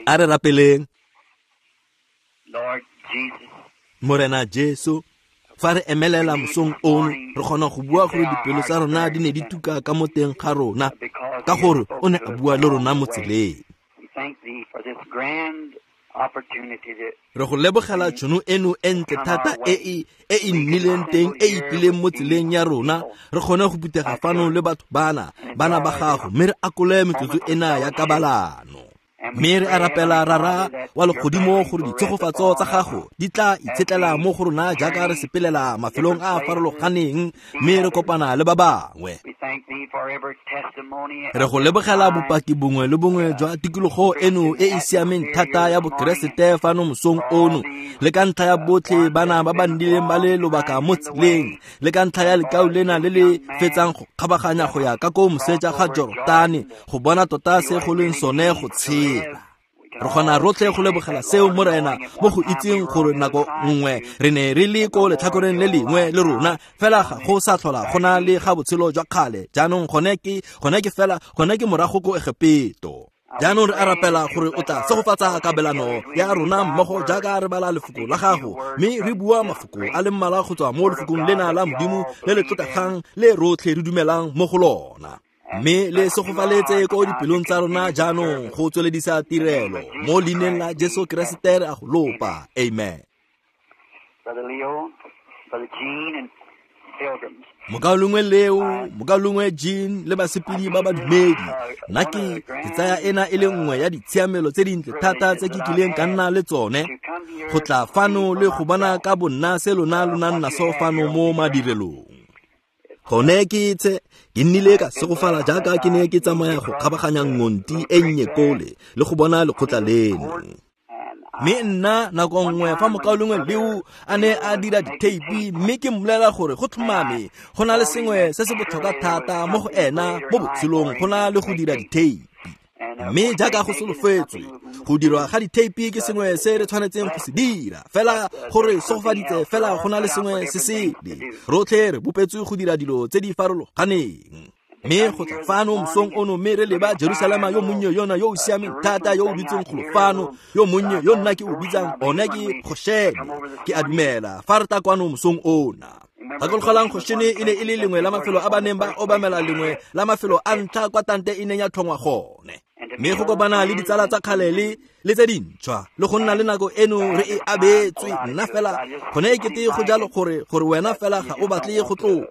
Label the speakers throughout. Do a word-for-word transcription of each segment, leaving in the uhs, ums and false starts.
Speaker 1: A re rapeleng. Morena Jesu, fa re emelela mosong ono, re kgona go bua gore dipelo tsa rona di ne di tuka ka mo teng ga rona, ka gore o ne a bua le rona mo tseleng. Re go lebogela tšhono eno e ntle thata e e e e nnileng teng e e tlileng mo tseleng ya rona, re kgone go phuthega fano le batho bana, bana ba gago, mme re akole metsotso ena ya kabalano. Mme re a rapela Rara wa legodimo gore ditshegofatso tsa gago di tla itshetlela mo go rona jaaka re sepelela mafelong a a farologaneng mme re kopana le ba bangwe. Re go lebogela bopaki bongwe le bongwe jwa tikologo eno e e siameng thata ya Bokeresete fano mosong ono, le ka ntlha ya botlhe bana ba ba nnileng ba le lobaka mo tseleng, le ka ntlha ya lekau lena le le fetsang go kgabaganya go ya ka ko moseja ga Jorotane go bona tota se go leng sone go tshela. Re kgona rotlhe go lebogela seo Morena mo go itseng gore nako nngwe re ne re le ko letlhakoreng le lengwe le rona, fela ga go sa tlhola go na le ga botshelo jwa kgale. Jaanong gone ke gone ke fela gone ke morago ko Egepeto. Jaanong re a rapela gore o tla segofatsa kabelano ya rona mmogo jaaka re bala lefoko la gago, mme re bua mafoko a le mmalwa go tswa mo lefokong lena la Modimo le le tlotlegang le rotlhe re dumelang mo go lona. Mme le segofaletse ko dipelong tsa rona jaanong go tsweledisa tirelo mo leineng la Jesu Keresete re a go lopa. Amen. Mokaulengwe Leo, mokaulengwe Jean le basepedi ba badumedi, nna ke ke tsaya ena e le nngwe ya ditshiamelo tse dintle thata tse ke kileng ka nna le tsone, go tla fano le go bona ka bonna se lona lo nang naso fano mo madirelong. Gone ke tse ke nnile ka segofala jaaka ke ne ke tsamaya go kgabaganya ngonti e nnye kole le go bona lekgotla leno. Mme nna nako nngwe fa mokaulengwe Leo a ne a dira ditheipi, mme ke mmolelela gore go tlhomame go na le sengwe se se botlhokwa thata mo go ena mo botshelong go na le go dira ditheipi. Mme jaaka go solofetswe, go dirwa ga ditheipi ke sengwe se re tshwanetseng go se dira, fela gore segofaditse fela go na le sengwe se sele. Rotlhe re bopetswe go dira dilo tse di farologaneng. Mme go tla fano mosong ono mme re leba Jerusalema yo monnye yona yo o siameng thata yo o dutseng golo fano, yo monnye yo nna ke o bitsang one ke Goshene. Ke a dumela fa re tla kwano mosong ona. Gakologelang Goshene e ne e le lengwe la mafelo a ba neng ba obamela, lengwe la mafelo a ntlha kwa tante e neng ya tlhongwa gone. Mme go kopana le ditsala tsa kgale le le tse dintšhwa le go nna le nako eno re e abetswe, nna fela gone e kete go jalo gore gore wena fela ga o batle go tloga.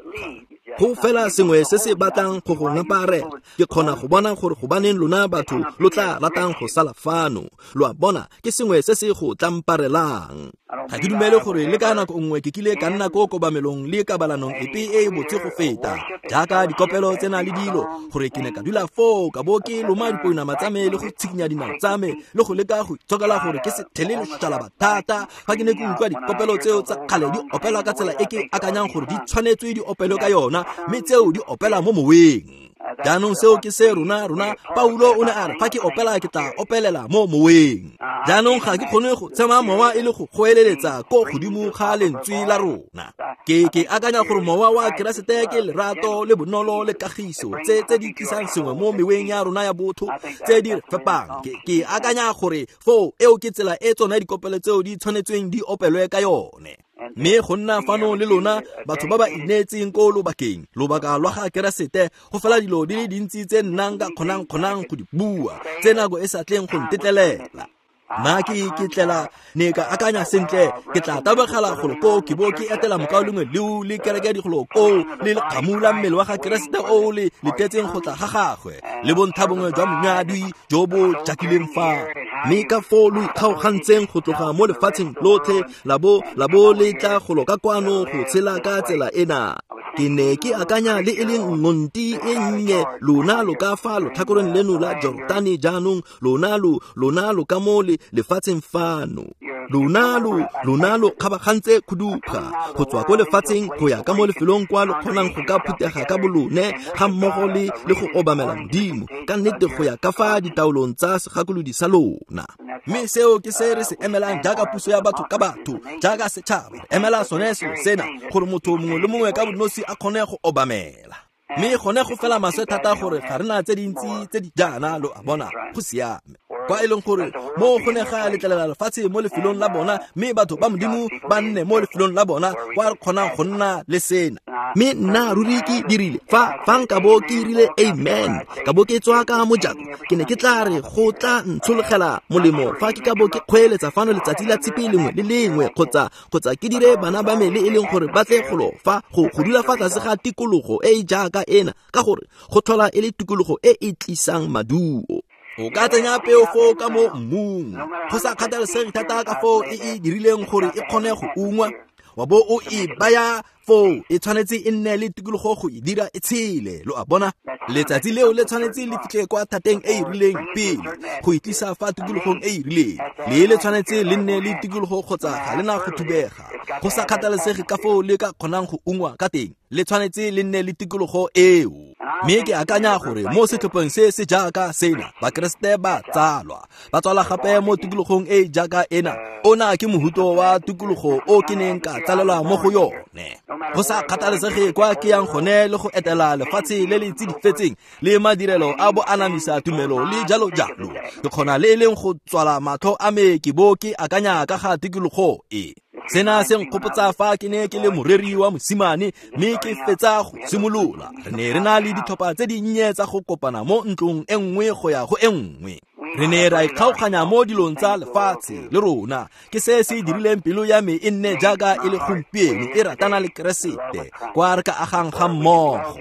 Speaker 1: Go fela sengwe se se batlang go go ngaparela. Ke kgona go bona gore gobaneng lona batho lo tla ratang go sala fano. Lo a bona, ke sengwe se se go tlamparelang. Ga ke dumele gore le ka nako nngwe ke kile ka nna ko kobamelong le kabalanong epe e e botse go feta jaaka dikopelo tsena le dilo, gore ke ne ka dula foo ka bo ke loma dipounama tsa me le go tshikinya dinao tsa me le go leka go itshokela gore ke se thele lešalaba thata fa ke ne ke utlwa dikopelo tseo tsa kgale di opelwa ka tsela e ke akanyang gore di tshwanetswe di opelwe ka yona, mme tseo di opela mo moweng. Jaanong seo ke se rona rona Paulo o ne a re fa ke opela ke tla opelela mo moweng. Jaanong ga ke kgone go tshema mowa e le go goeleletsa ko godimo ga lentswe la rona. Ke ke akanya gore mowa wa Keresete ke lerato le bonolo le kagiso tse tse di tlisang sengwe mo meweng ya rona ya botho tse di re fepang. Ke ke akanya gore foo eo ke tsela e tsona dikopelo tseo di tshwanetsweng di opelwe ka yone. Mme go nna fano le lona batho ba ba ineetseng ko lobakeng, lobaka lwa ga Keresete, go fela dilo di le dintsi tse nnang ka kgonang kgonang go di bua, tse nako e sa tleng go ntetlelela. Nna ke ke tlela ne ka akanya sentle ke tla tabogela golo ko ke bo ke etela mokaulengwe Leo le kereke digolo ko le lekgamu la mmele wa ga Keresete o le letetseng go tla ga gagwe le bontlha bongwe jwa monyadwi jo bo jakileng fa. Mme ka foo lo ikgaogantseng go tloga mo lefatsheng lotlhe la bo la bo le tla golo ka kwano go tshela ka tsela ena. Ke ne ke akanya le e leng ngonti e nnye, lona lo ka fa lotlhakoreng leno la Jorotane jaanong, lona lo lona lo ka mo le lefatsheng fano. Lona lo lona lo kgabagantse khuduga go tswa ko lefatsheng go ya ka mo lefelong kwa lo kgonang go ka phuthega ka bolone ga mmogo le le go obamela Modimo ka nnete go ya ka fa ditaolong tsa segakolodi sa lona. Mme seo ke se re se emelang jaaka puso ya batho ka batho, jaaka setšhaba. Re emela sone selo sena gore motho mongwe le mongwe ka bonosi a kgone go obamela. Mme gone go fela maswe thata gore ga re na tse dintsi tse di jaana, lo a bona, go siame. Kwa e leng gore mo go ne ga letlelela lefatshe mo lefelong la bona, mme batho ba Modimo ba nne mo lefelong la bona kwa re kgonang go nna le sena. Mme nna ruri ke dirile fa fa nka bo ke rile amen, ka bo ke tswa ka mojako, ke ne ke tla re go tla ntshologela molemo fa ke ka bo ke kgweeletsa fano letsatsi la tshipi lengwe le lengwe, kgotsa kgotsa ke dire bana ba me le e leng gore ba tle golo fa go go dula fa tlase ga tikologo e e jaaka ena, ka gore go tlhola e le tikologo e e tlisang maduo. O ka tsenya peo foo ka mo mmung, go sa kgathalesege thata ka foo e e dirileng gore e kgone go ungwa, wa bo o e baya foo, e tshwanetse e nne le tikologo go e dira e tshele. Lo a bona, letsatsi leo le tshwanetse le fitlhe kwa thateng e e rileng pele go e tlisa fa tikologong e e rileng. Le le tshwanetse le nne le tikologo kgotsa ga le na go thubega, go sa kgathalesege ka foo le ka kgonang go ungwa ka teng, le tshwanetse le nne le tikologo eo. Mme ke akanya gore mo setlhopheng se se jaaka sena, Bakeresete ba tsalwa, ba tswala gape mo tikologong e e jaaka ena. Ona ke mohuto wa tikologo o ke neng ka tsalelwa mo go yone. Go sa kgathalesege kwa ke yang gone le go etela lefatshe le le tsidifetseng le madirelo a bo anamisa tumelo le jalo jalo, ke kgona le e leng go tswala matlho a me ke bo ke akanya ka ga tikologo e. Sena se nkgopotsa fa ke ne ke le moreri wa mosimane mme ke fetsa go simolola. Re ne re na le ditlhopha tse dinnye tsa go kopana mo ntlong e nngwe go ya go e nngwe. Re ne ra ikgaoganya mo dilong tsa lefatshe le rona. Ke se se dirileng pelo ya me e nne jaaka e le gompieno e ratana le Keresete, kwa re ka agang ga mmogo.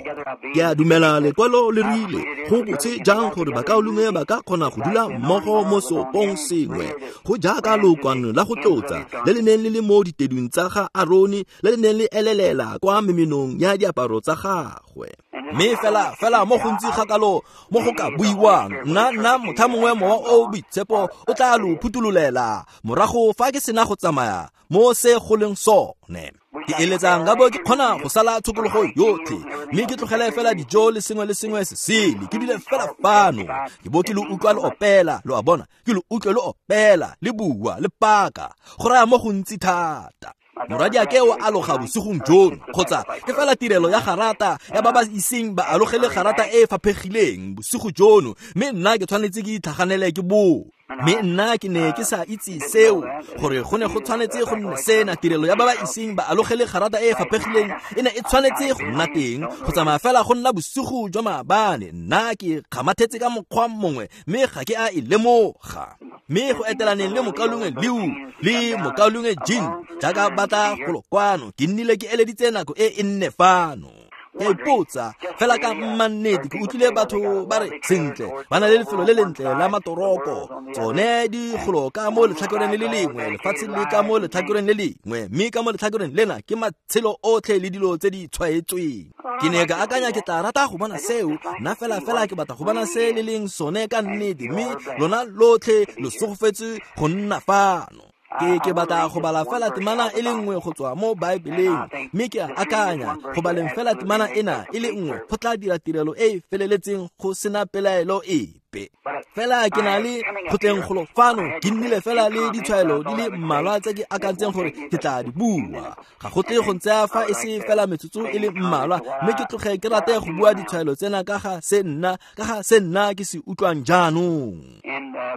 Speaker 1: Ke a dumela lekwalo le rile go botse jang gore bakaulengwe ba ka kgona go dula mmogo mo seopong sengwe, go jaaka lokwano la go tlotsa le le neng le le mo ditedung tsa ga Arone, le le neng le elelela kwa memenong ya diaparo tsa gagwe. Mme fela fela mo gontsi gakalo mo go ka buiwang, nna nna motlha mongwe mowa o boitshepo o tla lo phuthulolela morago fa ke sena go tsamaya mo se go leng sone. Ke eletsa nka bo ke kgona go sala tshokologo yotlhe, mme ke tlogele fela dijo le sengwe le sengwe se sele, ke dule fela fano, ke bo ke lo utlwa le opela. Lo a bona, ke lo utlwe le opela le bua le paka, go raya mo gontsi thata. Morwadiake o aloga bosigong jono, kgotsa ke fela tirelo ya garata ya ba ba iseng ba alogele garata e e faphegileng bosigo jono, mme nna ke tshwanetse ke itlhaganele ke boo. Mme nna ke ne ke sa itse seo, gore go ne go tshwanetse go nne sena tirelo ya ba ba iseng ba alogele garata e e faphegileng e ne e tshwanetse go nna teng, go tsamaya fela go nna bosigo jwa maabane. Nna ke kgamathetse ka mokgwa mongwe mme ga ke a e lemoga. Mme go etelaneng le mokaulengwe Leo le mokaulengwe Jean jaaka batla golo kwano, ke nnile ke eleditse nako e e nne fano. Ke ipotsa fela ka mmannete, ke utlwile batho ba re sentle ba na le lefelo le lentle la matoroko, tsone di golo ka mo letlhakoreng le le lengwe, lefatshe le ka mo letlhakoreng le lengwe, mme ka mo letlhakoreng lena ke matshelo otlhe le dilo tse di tshwaetsweng. Ke ne ka akanya ke tla rata go bona seo, nna fela fela ke batla go bona se le leng sone ka nnete, mme lona lotlhe lo segofetse go nna fano. Ke ke batla go bala fela temana e le nngwe go tswa mo Baebeleng, mme ke a akanya go baleng fela temana ena e le nngwe go tla dira tirelo e e feleletseng go sena pelaelo epe. Fela ke na le go tleng golo fano, ke nnile fela le ditshwaelo di le mmalwa tse ke akantseng gore ke tla di bua. Ga go tle go ntsaya fa e se fela metsotso e le mmalwa, mme ke tloge ke rate go bua ditshwaelo tsena ka ga se nna ka ga se nna ke se utlwang jaanong.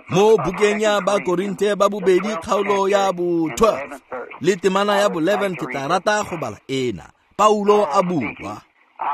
Speaker 1: Mo bukeng ya Bakorinthe ba bobedi kgaolo ya bo twelve le temana ya bo eleven, ke tla rata go bala ena. Paulo a bua,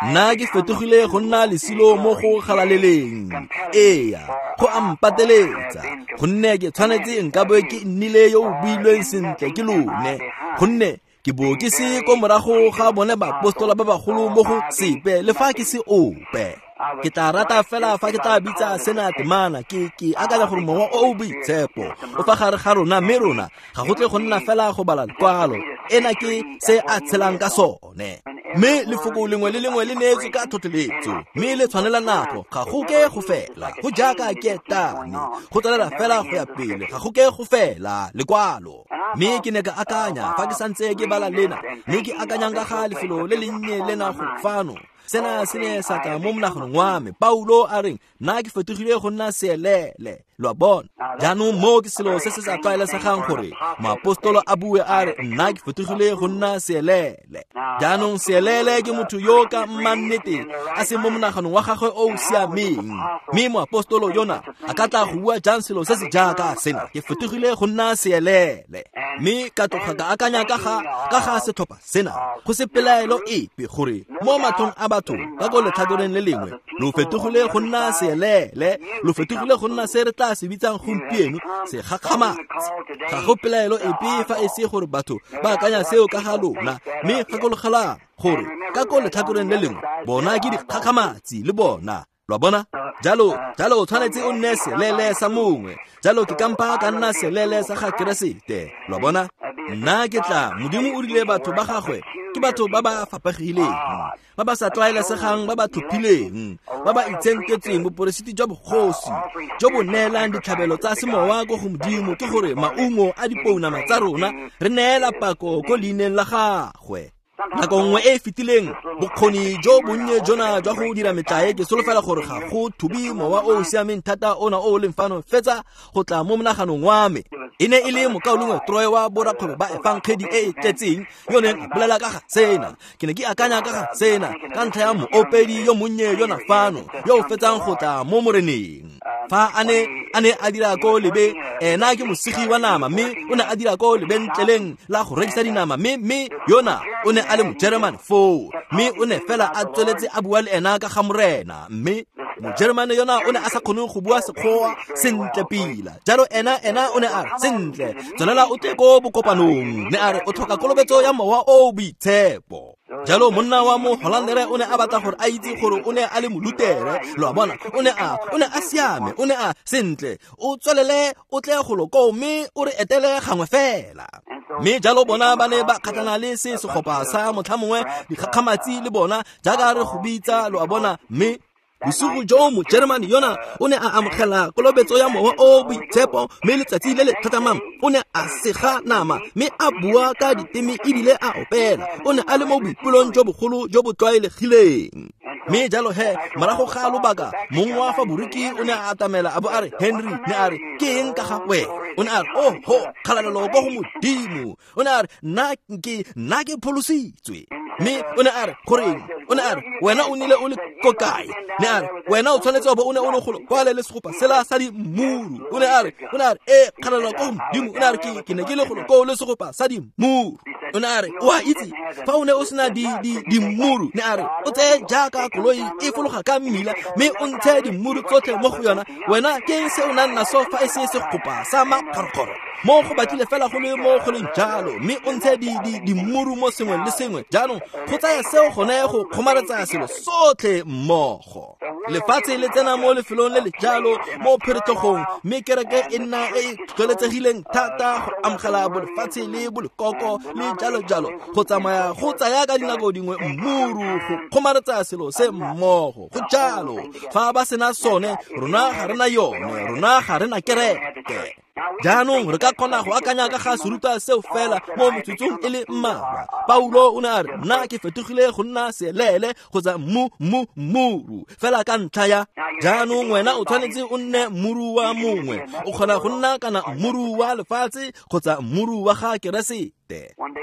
Speaker 1: nna ke fetogile go nna lesilo mo go galaleleng, eya go a mpateletsa, gonne ke tshwanetse nka bo ke nnile yo o builweng sentle ke lone, gonne ke bo ke se ko morago ga bone baapostola ba bagolo mo go sepe le fa ke se ope. Ke tla rata fela fa ke tla bitsa sena temana, ke ke akanya gore mowa o o boitshepo o fa gare ga rona, mme rona ga go tle go nna fela go bala lekwalo. Ena ke se a tshelang ka sone. Mme lefoko lengwe le lengwe le neetswe ka tlhotlheletso, mme le tshwanela nako, ga go ke go fela, go jaaka ketane, go tswelela fela go ya pele, ga go ke go fela lekwalo. Mme ke ne ka akanya fa ke santse ke bala lena, mme ke akanyang ka ga lefelo le lennye lena go fano, Sena se ne sa tla mo monaganong wa me. Paulo a reng nna ke fetogile go nna seelele. Lo a bona? Jaanong moo ke selo se se sa tlwaelesegang gore moapostolo a bue a re nna ke fetogile go nna seelele. Jaanong seelele ke motho yo ka mmannete a se mo monaganong wa gagwe o o siameng. Mme moapostolo yona a ka tla go bua jang selo se se jaaka sena? Ke fetogile go nna seelele. Mme ka tloga ka akanya ka ga ka ga setlhopha sena, go se pelaelo epe gore mo matlhong a batho ka ko letlhakoreng le lengwe lo fetogile go nna seelele, lo fetogile go nna se re tla se bitsang gompieno segakgamatsi. Ga go pelaelo epe fa e se gore batho ba akanya seo ka ga lona, mme gakologelang gore ka ko letlhakoreng le lengwe bona ke dikgakgamatsi le bona. Lo a bona? Jalo, jalo o tshwanetse o nne selele sa mongwe. Jalo ke kampa ka nna selele sa ga Keresete. Lo a bona? Nna ke tla, Modimo o rile batho ba gagwe ke batho ba ba fapegileng, ba ba sa tlwaelesegang, ba ba tlhophileng, ba ba itshenketsweng boporesiti jwa bogosi jo bo neelang ditlhabelo tsa semowa ko go Modimo, ke gore maungo a dipounama tsa rona re neela pako ko leineng la gagwe. Nako nngwe e e fetileng, bokgoni jo bonnye jona jwa go dira metlae, ke solofela gore ga go thube mowa o o siameng thata ona o o leng fano fetsa go tla mo monaganong wa me. E ne e le mokaulengwe Troy wa borakgwebo ba efangedi e e tletseng yo neng a bolela ka ga sena. Ke ne ke akanya ka ga sena ka ntlha ya moopedi yo monnye yona fano yo o fetsang go tla mo moreneng. Fa a ne a ne a dira ko lebe, ena ke mosegi wa nama, mme o ne a dira ko lebentleleng la go rekisa dinama, mme mme yona o ne a le Mojeremane foo, mme o ne fela a tsweletse a bua le ena ka ga morena, mme Mojeremane yona o ne a sa kgone go bua Sekgowa sentle pila. Jalo ena ena o ne a re, sentle, tswelela o tle ko bokopanong. Ne a re o tlhoka kolobetso ya mowa o o boitshepo. Jalo monna wa mo Hollandere o ne a batla gore a itse gore o ne a le molutere. Lo a bona? O ne a o ne a siame, o ne a sentle, o tswelele o tle golo koo mme o re etele gangwe fela. Mme jalo bona ba ne ba kgatlhana le se segopa sa motlha mongwe dikgakgamatsi le bona jaaka re go bitsa, lo a bona. Mme bosigo jo Mojeremane yona o ne a amogela kolobetso ya mowa o boitshepo, mme letsatsi le le tlhatlhamang o ne a sega nama mme a bua ka diteme ebile a opela. O ne a le mo boipelong jo bogolo jo bo tlwaelegileng. Mme jalo he morago ga lobaka mongwe wa fa boriki o ne a atamela a bo a re, Henry, ne a re ke eng ka ga wena? O ne a re, oh ho, kgalalelo ko go Modimo. O ne a re nna ke nna ke pholositswe. Mme o ne a re goreng? O ne a re wena o nile o le ko kae? Ne a re wena o tshwanetse wa bo o ne o le golo kwale le segopa sela sa dimuru. O ne a re o ne a re e kgalalelo ko go Modimo. O ne a re ke ke ne ke le golo koo le segopa sa dimuru. O ne a re o a itse fa o ne o sena di di dimuru, ne a re o tseye jaaka koloi e fologa ka mmila mme o ntshe dimuru tsotlhe mo go yona. Wena ke se o nang naso fa e se segopa sa makgorokgoro mo go batlile fela go le mo go leng jalo, mme o ntshe di di dimuru mo sengwe le sengwe. Jaanong go tsaya seo gone go kgomaretsa selo sotlhe mmogo. Lefatshe le tsena mo lefelong le le jalo mo pheretlhogong, mme kereke e nna e e tlhotlheletsegileng thata go amogela bolefatshe le bolekoko le jalo jalo. Go tsamaya go tsaya ka dinako dingwe mmuru go kgomaretsa selo se mmogo. Go jalo, fa ba sena sone, rona ga rena yone, rona ga rena kereke. Jaanong re ka kgona go akanya ka ga serutwa seo fela mo metsotsong e le mmalwa. Paulo o ne a re nna ke fetogile go nna seelele kgotsa mmu mmu mmuru fela ka ntlha ya. Jaanong wena o tshwanetse o nne mmuru wa mongwe. O kgona go nna kana mmuru wa lefatshe kgotsa mmuru wa ga Keresete.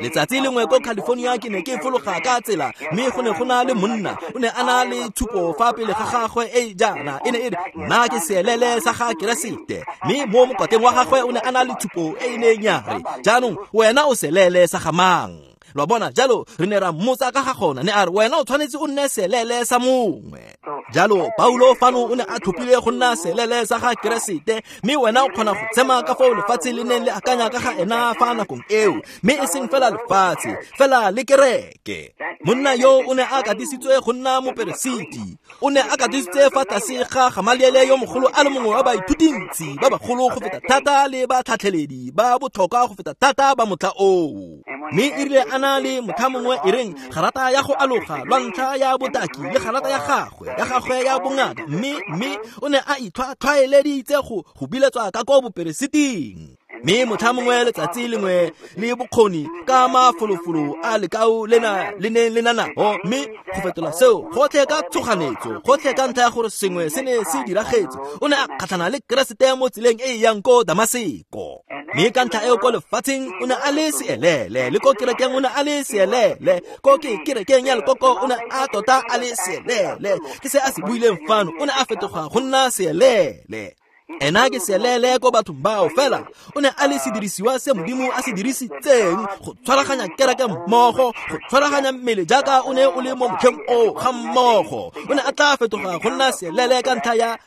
Speaker 1: Letsatsi lengwe ko California ke ne ke fologa ka tsela, mme go ne go na le monna o ne a na le tshupo fa pele ga gagwe e jaana, e ne e re nna ke seelele sa ga Keresete. Mme mo mokwateng wa gagwe o ne a na le tshupo e e neng ya re jaanong wena o selele sa ga mang? Lo a bona? Jalo re ne ra mmotsa ka ga gona, ne a re wena o tshwanetse o nne selele sa mongwe. Jalo Paulo fano o ne a tlhophile go nna selele sa ga Keresete, mme wena o kgona go tshema ka foo lefatshe le neng le akanya ka ga ena fa nakong eo, mme e seng fela lefatshe, fela le kereke. Monna yo o ne a katisitswe go nna moperesiti, o ne a katisitswe fa tlase ga Gamaliele yo mogolo a le mongwe wa baithutintsi ba bagolo go feta thata le batlhatlheledi ba botlhokwa go feta thata ba motlha oo. Mme e rile a na le motlha mongwe e reng garata ya go aloga lwa ntlha ya botaki le garata ya gagwe ya gagwe ya bongaka, mme mme o ne a itlhwatlhwaeleditse go go biletswa ka ko boperesiting. Mme motlha mongwe letsatsi lengwe le bokgoni ka mafolofolo a lekao lena le neng le na nao, mme go fetola seo gotlhe ka tshoganetso, gotlhe ka ntlha ya gore sengwe se ne se diragetse, o ne a kgatlhana le Keresete mo tseleng e e yang ko Damaseko. Mme ka ntlha eo ko lefatsheng o ne a le seelele, le ko kerekeng o ne a le seelele, ko ke kerekeng ya lekoko o ne a tota a le seelele. Ke se a se buileng fano, o ne a fetoga go nna seelele. Ena ke seelele ko bathong bao, fela o ne a le sedirisiwa se Modimo a se dirisitseng go tshwaraganya kereke mmogo, go tshwaraganya mmele jaaka o ne o le mo motlheng oo ga mmogo. O ne a tla fetoga go nna seelele ka ntlha ya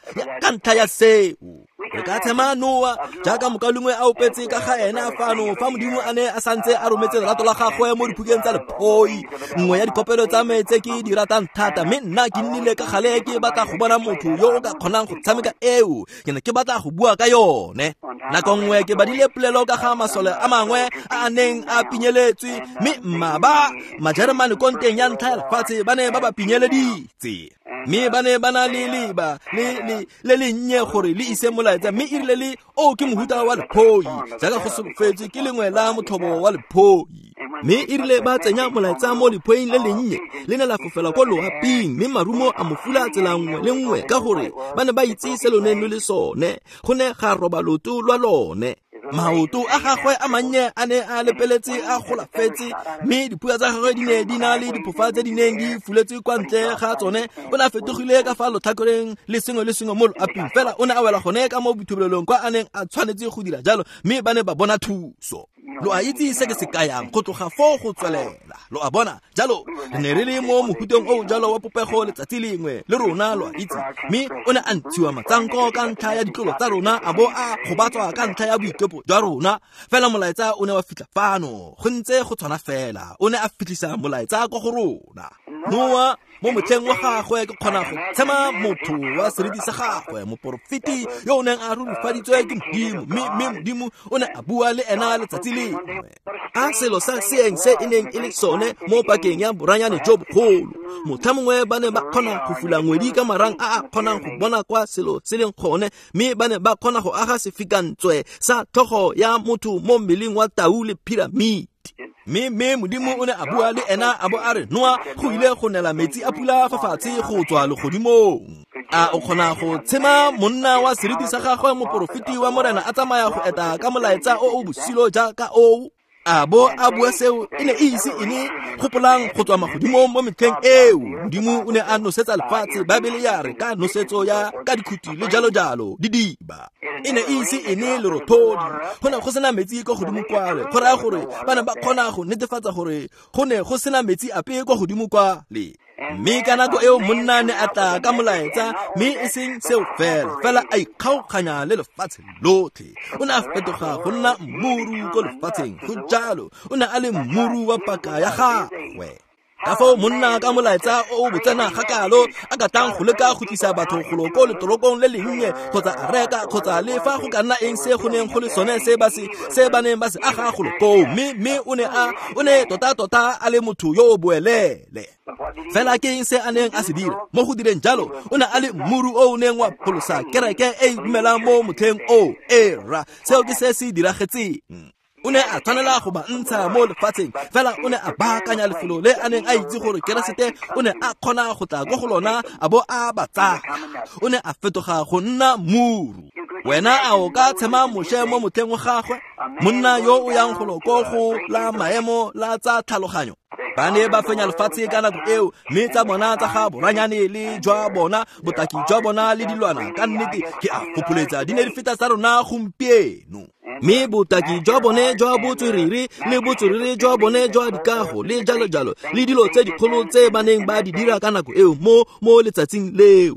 Speaker 1: ka ntlha ya seo. Re ka tshema Noa jaaka mokalengwe a opetse ka ga ena fano fa Modimo a ne a santse a rometse lerato la gagwe mo diphukeng tsa lephoi, nngwe ya dikopelo tsa me tse ke di ratang thata, mme nna ke nnile ka gale ke batla go bona motho yo o ka kgonang go tshameka eo, ke ne ke batla go bua ka yone. Nako nngwe ke badile polelo ka ga masole a mangwe a a neng a pinyeletswe, mme mmaba Majeremane ko nteng ya ntlha ya lefatshe ba ne ba ba pinyeleditse, mme ba ne ba na le leba le le le lennye gore le ise molaetsa, mme e rile le o ke mohuta wa lephoi jaaka go solofetswe ke lengwe la motlhobo wa lephoi. Mme e rile ba tsenya molaetsa mo lephoing le lennye, le ne la fofela ko loaping, mme marumo a mo fula tsela nngwe le nngwe ka gore ba ne ba itse se lo neng lo le sone, go ne ga roba loto lwa lone. Maoto a gagwe a mannye a ne a lepeletse a golafetse, mme dipua tsa gagwe di ne di na le diphofa tse di neng di fuletswe kwa ntle ga tsone. O ne a fetogile ka fa lotlhakoreng le sengwe le sengwe mo loaping, fela o ne a wela gone ka mo boithubelelong kwa a neng a tshwanetse go dira jalo, mme ba ne ba bona thuso. Lo a itse se ke se kayang go tloga foo go tswelela, lo a bona. Jalo re ne re le mo mohuteng o jalo wa popego letsatsi lengwe le rona, lo a itse, mme o ne a ntshiwa matsanko ka ntlha ya ditlolo tsa rona, a bo a gobatswa ka ntlha ya boikepo jwa rona. Fela molaetsa o ne wa fitlha fano, go ntse go tshwana fela, o ne a fitlhisa molaetsa ko go rona. Noa mo motlheng wa gagwe ke kgona go tshema motho wa seriti sa gagwe, moporofeti yo o neng a rurifaditswe ke Modimo, mme mme Modimo o ne a bua le ena letsatsi lengwe. A selo sa seeng se e neng e le sone mo pakeng ya boranyane jo bogolo, motlha mongwe ba ne ba kgona go fula ngwedi ka marang a a kgonang go bona kwa selo se leng gone, mme ba ne ba kgona go aga sefikantswe sa tlhogo ya motho mo mmeleng wa tau le piramidi. Mme mme Modimo o ne a bua le ena a bo a re, Noa, go ile go nela metsi a pula fa fatshe go tswa legodimong. A o kgona go tshema monna wa seriti sa gagwe, moporofeti wa Morena, a tsamaya go eta ka molaetsa o o bosilo jaaka oo? A bo a bua seo e ne e ise e ne gopolang go tswa magodimong mo metlheng eo. Modimo o ne a nosetsa lefatshe, Baebele ya re ka nosetso ya ka dikhuti le jalo jalo didiba. E ne e ise e ne lerothodi, go ne go sena metsi kwa godimo kwale, go raya gore ba ne ba kgona go netefatsa gore go ne go sena metsi ape kwa godimo kwale. Mme ka nako eo monna ne a tla ka molaetsa, mme e seng seo fela, fela a ikgaoganya le lefatshe lotlhe. O ne a fetoga go nna mmuru ko lefatsheng, go jalo o ne a le mmuru wa paka ya gagwe. Ka foo monna ka molaetsa o o botsena ga kalo a ka tlang go leka go tlisa batho golo ko letorokong le lennye, kgotsa a reka, kgotsa le fa go ka nna eng se go neng go le sone se ba se se ba neng ba se aga golo koo. Mme mme o ne a o ne tota tota a le motho yo o boelele. Fela ke eng se a neng a se dira mo go direng jalo? O ne a le mmuru o o neng wa pholosa kereke e e dumelang mo motlheng o era. Seo ke se se diragetseng. O ne a tshwanela go ba ntsha mo lefatsheng, fela o ne a baakanya lefelo le a neng a itse gore Keresete o ne a kgona go tla ko go lona a bo a ba tsaya. O ne a fetoga go nna muru. Wena a o ka tshema Moshe mo motlheng wa gagwe, monna yo o yang golo ko go la maemo la tsa tlhaloganyo? Ba ne ba fenya lefatshe ka nako eo, mme tsa bona tsa ga boranyane le jwa bona, botaki jwa bona le dilwana, ka nnete ke a fopholetsa di ne di feta tsa rona gompieno. Mme botaki jwa bone jwa botswerere le botswerere jwa bone jwa dikago le jalo jalo le dilo tse dikgolo tse ba neng ba di dira ka nako eo mo mo letsatsing leo.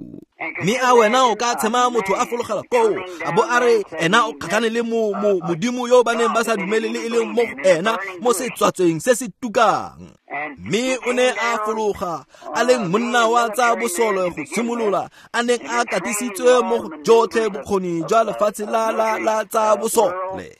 Speaker 1: Mme a wena o ka tshema motho a fologela koo a bo a re ena o kgatlhane le mo mo modimo yo ba neng ba sa dumele le e leng mo go ena mo setswatsweng se se tukang? Mme o ne a fologa a leng monna wa tsa bosole go simolola, a neng a katisitswe mo go jotlhe bokgoni jwa lefatshe la la la tsa bosole.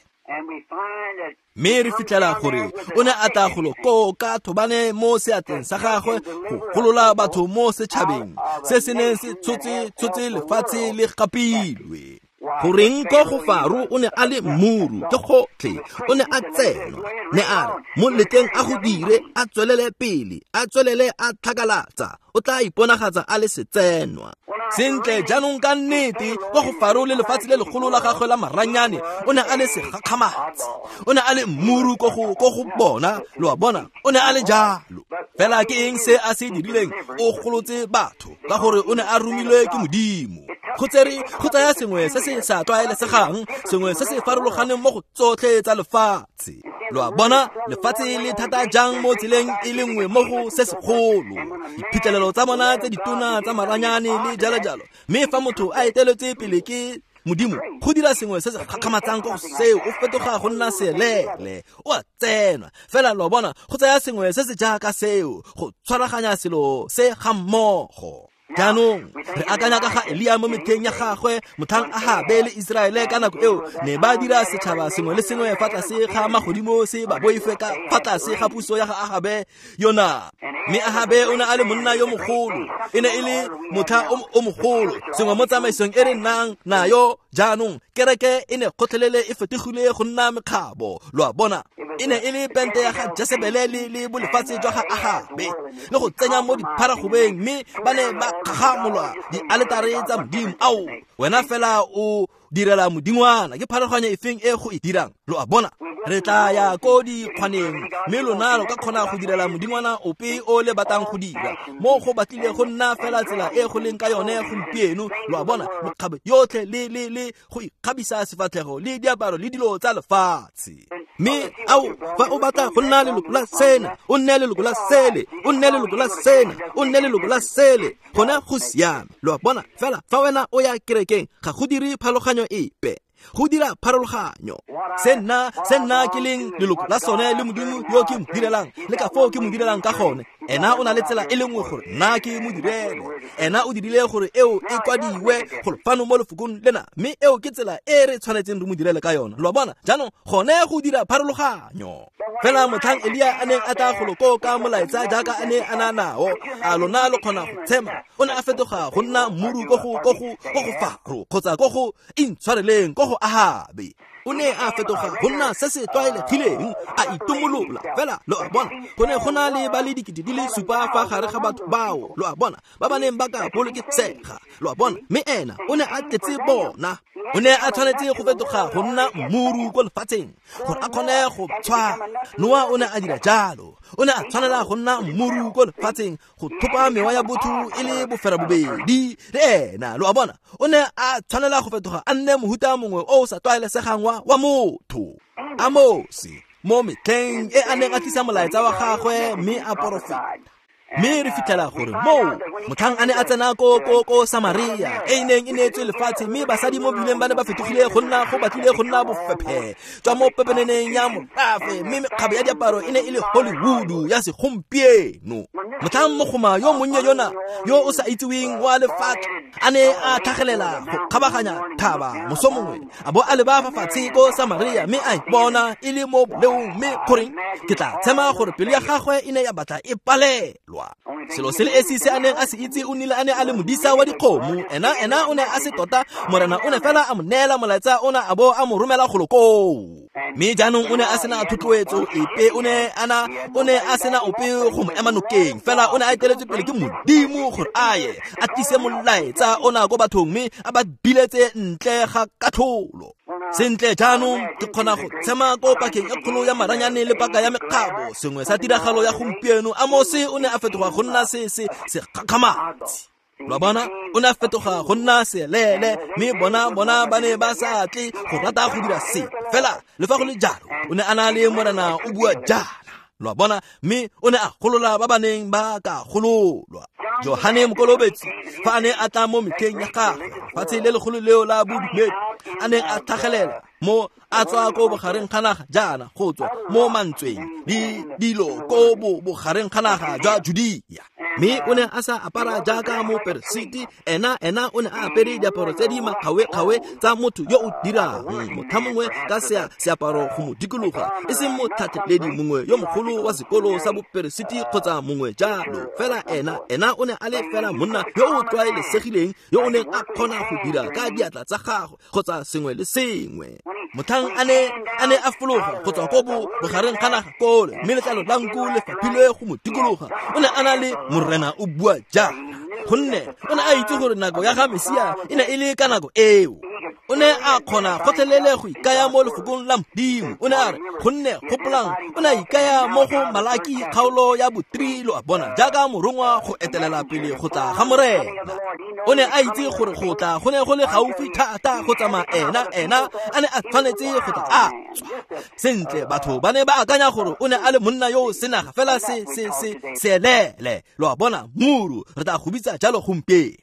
Speaker 1: Mme re fitlhela gore o ne a tla golo koo ka thobane mo seatleng sa gagwe go golola batho mo setšhabeng se se neng se tshotse tshotse lefatshe le gapilwe. Goreng ko go Faro o ne a le mmuru ke gotlhe, o ne a tsenwa. Ne a re mo letleng a go dire, a tswelele pele, a tswelele a tlhakalatsa, o tla iponagatsa a le setsenwa. Sentle jaanong ka nnete kwa go Faro le lefatshe le legolo la gagwe la maranyane, o ne a le segakgamatsi, o ne a le mmuru ko go ko go bona, lo a bona, o ne a le jalo. Fela ke eng se a se dirileng? O golotse batho ka gore o ne a romilwe ke Modimo. Go tsere go tsaya sengwe se se sa tlwaelesegang, sengwe se se farologaneng mo go tsotlhe tsa lefatshe. Lo a bona, lefatshe le thata jang mo tseleng e le nngwe mo go se segolo. Diphitlhelelo tsa bona tse ditona tsa maranyane le jalo jalo. Mme fa motho a eteletswe pele ke Modimo, go dira sengwe se se gakgamatsang ko go seo, o fetoga go nna selele, o a tsenwa. Fela lo bona, go tsaya sengwe se se jaaka seo, go tshwaraganya selo se ga mmogo. Jaanong re akanya ka ga Elia mo metlheng ya gagwe, motlhang Ahabe le Iseraele ka nako eo ne ba dira setšhaba sengwe le sengwe fa tlase ga magodimo se ba boife ka fa tlase ga puso ya ga Ahabe yona. Mme Ahabe o ne a le monna yo mogolo, e ne e le motlha o mogolo, sengwe mo tsamaisong e re nnang nayo jaanong. Kereke e ne gotlhelele e fetogile go nna mekgabo, lo a bona. E ne e le pente ya ga Jesebele le le bolefatshe jwa ga Ahabe, le go tsenya mo dipharagobeng, mme ba ne ba kgagamolwa dialetare tsa Modimo. Ao, wena fela o direla modingwana, ke pharologanyo efeng e go e dirang? Lo a bona, re tla ya ko dikgwaneng, mme lona lo ka kgona go direla modingwana ope o le batlang go dira. Mo go batlile go nna fela tsela e go leng ka yone gompieno, lo a bona, mekgabo yotlhe le le le go ikgabisa sefatlhego le diaparo le dilo tsa lefatshe. Mme ao, fa o batla go nna leloko la sena, o nne leloko la sele, o nne leloko la sena, o nne leloko la sele, gone go siame. Lo a bona, fela fa wena o ya kerekeng, ga go dire pharologanyo epe. Go dira pharologanyo. Se nna, se nna ke leng leloko la sone le Modimo yo ke mo direlang, le ka foo ke mo direlang ka gone. Ena o na le tsela e le nngwe gore nna ke mo direle. Ena o dirile gore eo e kwadiwe gore fano mo lefokong lena, mme eo ke tsela e re tshwanetseng re mo direle ka yona. Lo a bona, jaanong gone go dira pharologanyo. Fela motlhang Elia a neng a tla golo koo ka molaetsa jaaka a ne a na nao, a lona lo kgona go tshema, o ne a fetoga go nna mmuru ko go ko go ko go Faro kgotsa ko go intshwareleng ko go Ahabe. O ne a fetoga go nna se se tlwaelegileng, a itomolola. Fela lo a bona, go ne go na le ba le dikete di le supa fa gare ga batho bao, lo a bona, ba ba neng ba ka bolokesega, lo a bona. Mme ena o ne a tletse bona. O ne a tshwanetse go fetoga go nna mmuru ko lefatsheng gore a kgone go tshwara. Noa o ne a dira jalo, o ne a tshwanela go nna mmuru ko lefatsheng go thopa mewa ya botho e le boferabobedi le ena, lo a bona. O ne a tshwanela go fetoga a nne mohuta mongwe o o sa tlwaelesegang wa wa motho. Amose mo metlheng e a neng a tlisa molaetsa wa gagwe mme a porofeta. Mme re fitlhela gore moo motlhang a ne a tsena ko ko ko Samaria e neng e neetswe lefatshe, mme basadi mo bileng ba ne ba fetogile go nna go batlile go nna bofephe jwa mo pepeneneng ya morafe, mme mekgabo ya diaparo e ne e le Hollywood ya segompieno. Motlhang mogoma yo monnye yona yo o sa itseweng wa lefatshe a ne a tlhagelela go kgabaganya thaba moso mongwe, a bo a leba fa fatshe ko Samaria, mme a ipona e le mo boleong. Mme goreng ke tla tshema gore pelo ya gagwe e ne ya batla e palelwa. Selo se le esi se a neng a se itse, o nnile a ne a le modisa wa dikgomo. Ena ena o ne a se tota, Morena o ne fela a mo neela molaetsa ona a bo a mo romela golo koo. Mme jaanong o ne a sena thotloetso epe, o ne ana o ne a sena ope go mo ema nokeng, fela o ne a eteletswe pele ke Modimo gore a ye a tlise molaetsa ona ko bathong, mme a ba biletse ntle ga katlholo. Sentle jaanong ke kgona go tshema ko pakeng e kgolo ya maranyane le paka ya mekgabo, sengwe sa tiragalo ya gompieno. Amose o ne a fetoga go nna se se segakgamatsi, lo a bona, o ne a fetoga go nna selele, mme bona bona ba ne ba sa tle go rata go dira se. Fela le fa go le jalo, o ne a na le Morena o bua jaana, lo a bona, mme o ne a golola ba ba neng ba ka gololwa. Johane Mokolobetsi fa a ne a tla mo metlheng ya gagwe, lefatshe le legolo leo la bodumedi, a neng a tlhagelela mo a tswa ko bogareng ga naga jaana, go tswa mo mantsweng le dilo ko bogareng ga naga jwa Judea. Mme o ne a sa apara jaaka moperesiti, ena ena o ne a apere diaparo tse di makgawe-kgawe tsa motho yo o dirang, motlha mongwe ka seaparo go mo dikologa, e seng motlhatlheledi mongwe yo mogolo wa sekolo sa boperesiti kgotsa mongwe jalo. Fela ena ena o ne a le fela monna yo o tlwaelesegileng yo o neng a kgona go dira ka diatla tsa gagwe kgotsa sengwe le sengwe. Motlhang a ne a ne a fologa go tswa ko bogareng ga naga kole, mme letlalo la nku le faphilwe go mo dikologa, o ne a na le Morena o bua jaana, gonne o ne a itse gore nako ya ga Mesia e ne e le ka nako eo. O ne a kgona gotlhelele go ikaya mo lefokong la Modimo. O ne a re, gonne gopolang, o ne a ikaya mo go Malaki kgaolo ya botri, lo a bona, jaaka morongwa go etelela pele go tla ga Morena. O ne a itse gore go tla go ne go le gaufi thata go tsamaya ena ena a ne a tshwanetse go tla a tswa. Sentle, batho ba ne ba akanya gore o ne a le monna yo o senaga fela se se se seelele, lo a bona, muru, re tla go bitsa jalo gompieno.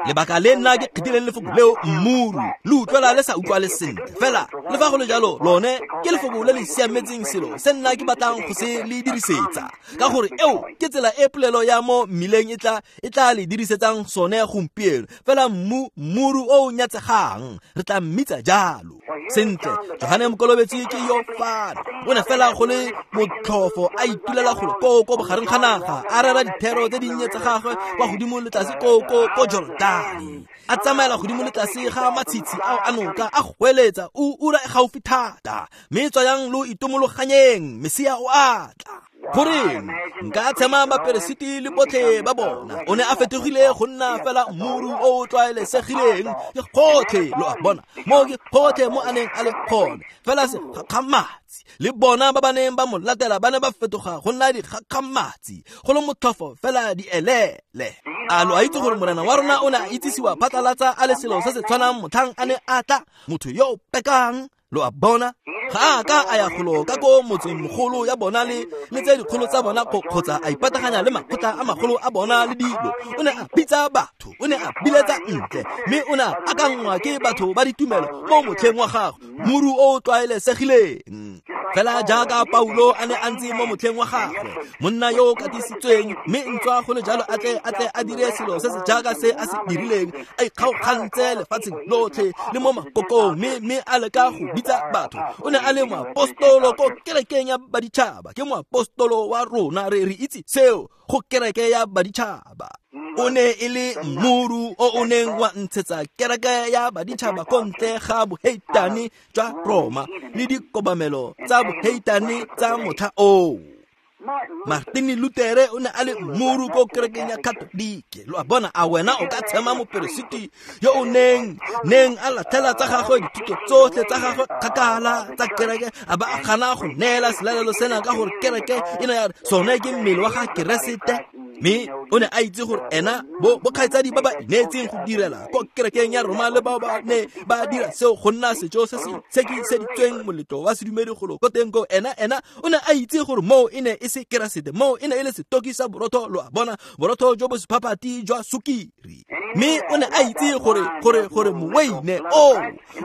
Speaker 1: Lebaka le nna ke kgethileng lefoko leo mmuru, le utlwela le sa utlwale sentle, fela le fa go le jalo lone ke lefoko le le siametseng selo se nna ke batlang go se le dirisetsa, ka gore eo ke tsela e polelo ya mo mmileng e tla e tla le dirisetsang sone gompieno. Fela mmu mmuru o o nyatsegang re tla mmitsa jalo. Sentle, Johane Mokolobetsi ke yo fano, o ne fela go le motlhofo a itulela golo koo ko bogareng ga naga, a rera dithero tse dinnye tsa gagwe kwa godimo le tlase ko ko ko Jordane, a tsamaela godimo le tlase ga matshitshi ao a noka, a goeletsa, o ura e gaufi thata, mme tswayang lo itomologanyeng, Mesia o a tla. Goreng nka tshema baperesiti le botlhe ba bona, o ne a fetogile go nna fela mmuru o o tlwaelesegileng ke gotlhe, lo a bona, mo ke gotlhe mo a neng a le gone, fela segakgamatsi. Le bona ba ba neng ba mo latela ba ne ba fetoga go nna dikgakgamatsi, go le motlhofo fela dielele. A lo a itse gore Morena wa rona o ne a itsisiwa phatlalatsa a le selo se se tshwanang motlhang a ne a tla, motho yo o pekang, lo a bona. Ga a ka a ya golo ka ko motseng mogolo ya bona le le tse dikgolo tsa bona, kgotsa a ipataganya le makgotla a magolo a bona le dilo. O ne a bitsa batho, o ne a biletsa ntle, mme o ne a akangwa ke batho ba ditumelo mo motlheng wa gagwe, muru o o tlwaelesegileng. Fela jaaka Paulo a ne a ntse mo motlheng wa gagwe, monna yo o katisitsweng, mme ntswa go le jalo a tle a tle a dire selo se se jaaka se a se dirileng, a ikgaogantse lefatsheng lotlhe le mo makokong, mme mme a leka go bitsa batho. O ne a le moapostolo ko kerekeng ya baditšhaba, ke moapostolo wa rona, re re itse seo go kereke ya baditšhaba. O ne e le mmuru o o neng wa ntshetsa kereke ya baditšhaba ko ntle ga boheitane jwa Roma le dikobamelo tsa boheitane tsa motlha oo. Martin Luther o ne a le mmuru ko kerekeng ya Katolike, lo a bona. A wena o ka tshema moperesiti yo o neng neng a latlhela tsa gagwe dithuto tsotlhe tsa gagwe kgakala tsa kereke, a ba a gana go neela selalelo sena ka gore kereke e ne ya re sone ke mmele wa ga Keresete? Mme o ne a itse gore ena bo bokgaitsadi ba ba ineetseng go direla ko kerekeng ya Roma le bao ba ne ba dira seo go nna sejo se se tshekiseditsweng moletlo wa sedumedi golo ko teng ko, ena ena o ne a itse gore moo e ne e se Keresete, moo e ne e le setoki sa borotho, lo a bona, borotho jo bo sephaphathi jwa sukiri. Mme o ne a itse gore gore gore moweine oo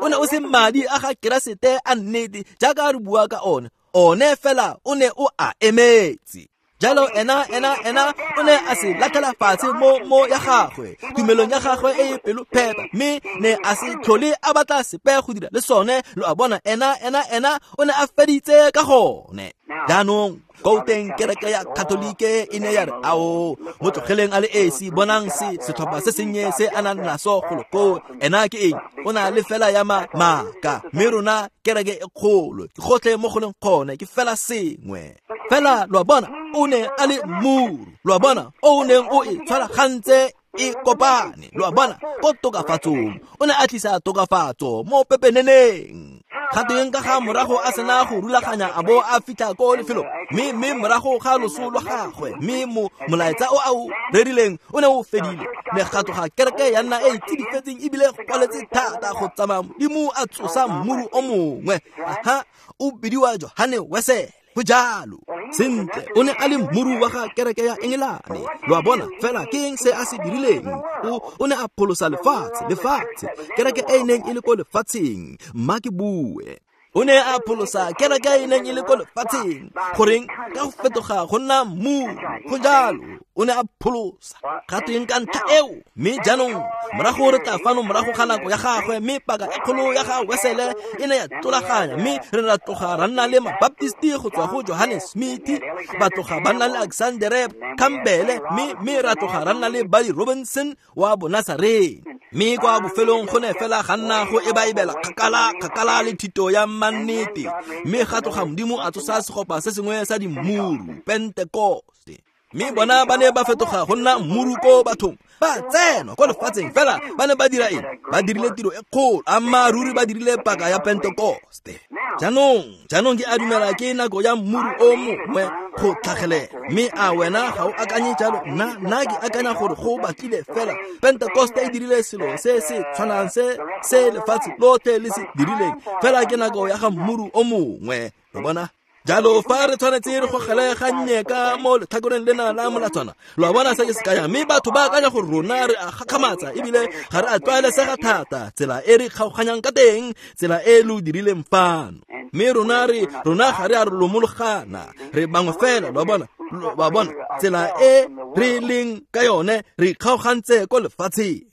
Speaker 1: o ne o se madi a ga Keresete a nnete jaaka re bua ka one, one fela o ne o a emetse. Jalo ena ena ena o ne a se latlhela fatshe mo mo ya gagwe, tumelong ya gagwe e e pelo phepa, mme ne a se tlhole a batla sepe go dira le sone, lo a bona, ena ena ena o ne a feditse ka gone. Jaanong ko teng kereke ya Katolike e ne ya re, ao, mo tlogeleng a le esi, bonang se setlhopha se sennye se a nang naso golo koo, ena ke eng? O na le fela ya maaka, mme rona kereke e kgolo, ke gotlhe mo go leng gone, ke fela sengwe. Fela lo a bona, o ne a le mmuru, lo a bona, o neng o e tshwaragantse e kopane, lo a bona, ko tokafatsong, o ne a tlisa tokafatso mo pepeneneng. Ga teng ka ga morago a sena go rulaganya a bo a fitlha ko lefelong, mme mme morago ga loso lwa gagwe, mme mo molaetsa o a o rerileng o ne o fedile, megato ga kereke ya nna e e tsidifetseng ebile go kwaletse thata go tsamaya Modimo a tsosa mmuru o mongwe. Aha, o bidiwa Johane Wesele. Go jalo. Sentle, o ne a le mmuru wa ga kereke ya Engelane, lo a bona. Fela ke eng se a se dirileng? O o ne a pholosa lefatshe, lefatshe, kereke e e neng e le ko lefatsheng. Mma ke bue. O ne a pholosa kereke e neng e le ko lefatsheng, goreng ka go fetoga go nna mmuru. Go jalo. O ne a pholosa. Ga tweng ka ntlha eo? Mme jaanong morago re tla fano morago ga nako ya gagwe, mme paka e kgolo ya ga Wesele e ne ya tlolaganya, mme re ne ra tloga ra nna le Mabaptisti go tswa go Johannes Smith, ba tloga ba nna le Alexander Campbell, mme mme ra tloga ra nna le Buddy Robinson wa Bonasarene. Mme kwa bofelong go ne fela ga nna go ebaebela kgakala kgakala le thito ya mannete, mme ga tloga Modimo a tsosa segopa se sengwe sa dimmuru, Pentekoste. Mme bona ba ne ba fetoga go nna mmuru ko bathong, ba tsena ko lefatsheng fela ba ne ba dira eng? Ba dirile tiro e kgolo, ammaaruri ba dirile paka ya Pentekoste. Jaanong, jaanong ke a dumela ke nako ya mmuru o mongwe go tlhagelela. Mme a wena ga o akanye jalo? Nna nna ke akanya gore go batlile fela Pentekoste e dirile selo se se tshwanang se se lefatshe lotlhe le se dirileng, fela ke nako ya ga mmuru o mongwe. Lo bona? Jalo fa re tshwanetse re gogele gannye ka mo letlhakoreng lena la molatswana, lo a bona se ke se kayang? Mme batho ba akanya gore rona re a gakgamatsa ebile ga re a tlwaelesega thata tsela e re kgaoganyang ka teng, tsela e lo dirileng fano. Mme rona re rona ga re a lomologana, re bangwe fela, lo a bona? Lo a bona tsela e re leng ka yone, re kgaogantse ko lefatsheng.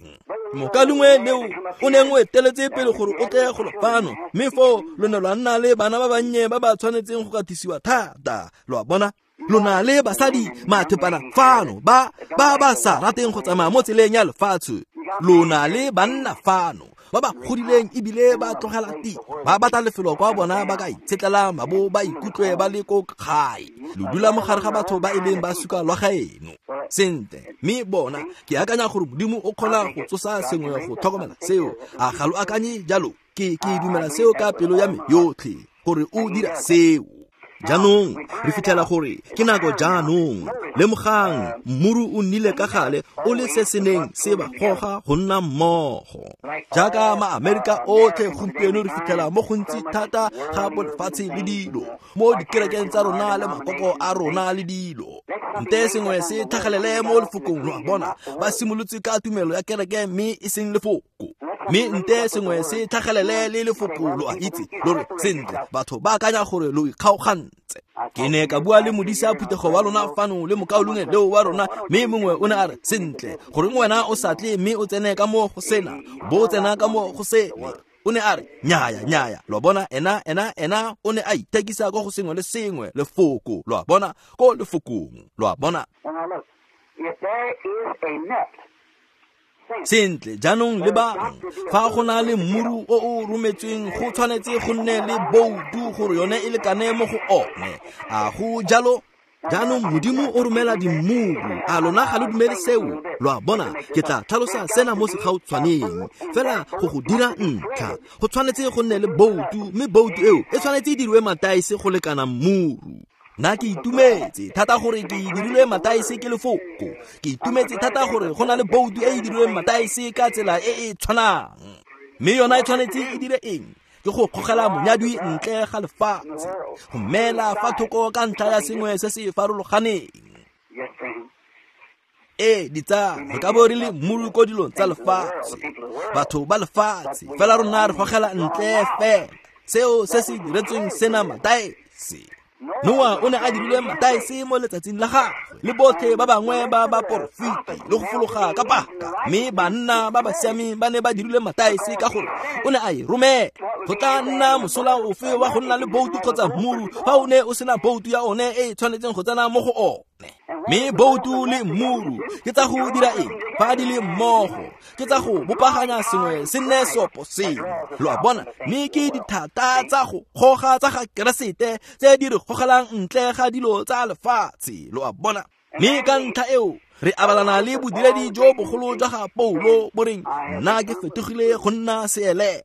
Speaker 1: Mokalengwe leo o neng o eteletse pele gore o tle go fano, mme foo lo ne lwa nna le bana ba bannye ba ba tshwanetseng go katisiwa thata, lo a bona? Lo na le basadi mathepana fano ba ba ba sa rateng go tsamaya mo tseleng ya lefatshe. Lo na le banna fano ba ba godileng ebile ba tlogela tiro, ba batla lefelo kwa bona ba ka itshetlelang ba bo ba ikutlwe ba le ko gae. Lo dula mo gare ga batho ba e leng ba suka lwa gaeno. Sentle, mme bona ke akanya gore Modimo o kgona go tsosa sengwe go tlhokomela seo. A ga lo akanye jalo? Ke ke dumela seo ka pelo ya me yotlhe gore o dira seo. Jaanong re fitlhela gore ke nako jaanong. Lemogang, mmuru o nnile ka gale o le se se neng se ba goga go nna mmogo. Jaaka ma-Amerika otlhe gompieno re fitlhela mo gontsi thata ga bolefatshe le dilo mo dikerekeng tsa rona le makoko a rona le dilo. Nte sengwe se tlhagelele mo lefokong, lo a bona? Ba simolotse ka tumelo ya kereke mme e seng lefoko. Mme nte sengwe se tlhagelele le lefoko, lo a itse, lo re sentle, batho ba akanya gore lo ikgaogantse. Ke ne ka bua le modisa phuthego wa lona fano le mokaulengwe leo wa rona, mme mongwe o ne a re, sentle, goreng wena o sa tle mme o tsene ka mo go sena, bo o tsena ka mo go sele. O ne a re, nyaya, nyaya, lo a bona, ena, ena, ena, o ne a ithekisa ko go sengwe le sengwe, lefoko, lo a bona, ko lefokong, lo a bona. Sentle, jaanong lebang, fa go na le mmuru o o rometsweng go tshwanetse go nne le boutu gore yone e lekane mo go one. A go jalo? Jaanong Modimo o romela dimmuru. A lona ga lo dumele seo? Lo a bona, ke tla tlhalosa sena mo segautshwaneng fela go go dira ntlha. Go tshwanetse go nne le boutu, mme boutu eo e tshwanetse e diriwe mataese go lekana mmuru. Nna ke itumetse thata gore ke dirilwe mataese ke lefoko. Ke itumetse thata gore go na le boutu e e dirilweng mataese ka tsela e e tshwanang. Mme yona e tshwanetse e dire eng? Ke go kgogela monyadwi ntle ga lefatshe, go mela fa thoko ka ntlha ya sengwe se se farologaneng. Ee, ditsala, re ka bo re le mmuru ko dilong tsa lefatshe, batho ba lefatshe, fela rona re gogela ntle fela seo se se diretsweng sena mataese. Noa o ne a dirilwe mataese mo letsatsing la gagwe le botlhe ba bangwe ba baporofeti le go fologa ka paka, mme banna ba ba siameng ba ne ba dirilwe mataese ka gore o ne a e romela. Go tla nna mosola ofe wa go nna le boutu kgotsa mmuru fa o ne o sena boutu ya one e e tshwanetseng go tsena mo go one? Mme boutu le mmuru ke tsa go dira eng fa di le mmogo? Ke tsa go bopaganya sengwe se nne seopo sengwe, lo a bona? Mme ke dithata tsa go goga tsa ga Keresete tse di re gogelang ntle ga dilo tsa lefatshe, lo a bona? Mme ka ntlha eo re abalana le bodiredi jo bogolo jwa ga Paulo bo reng, nna ke fetogile go nna seelele.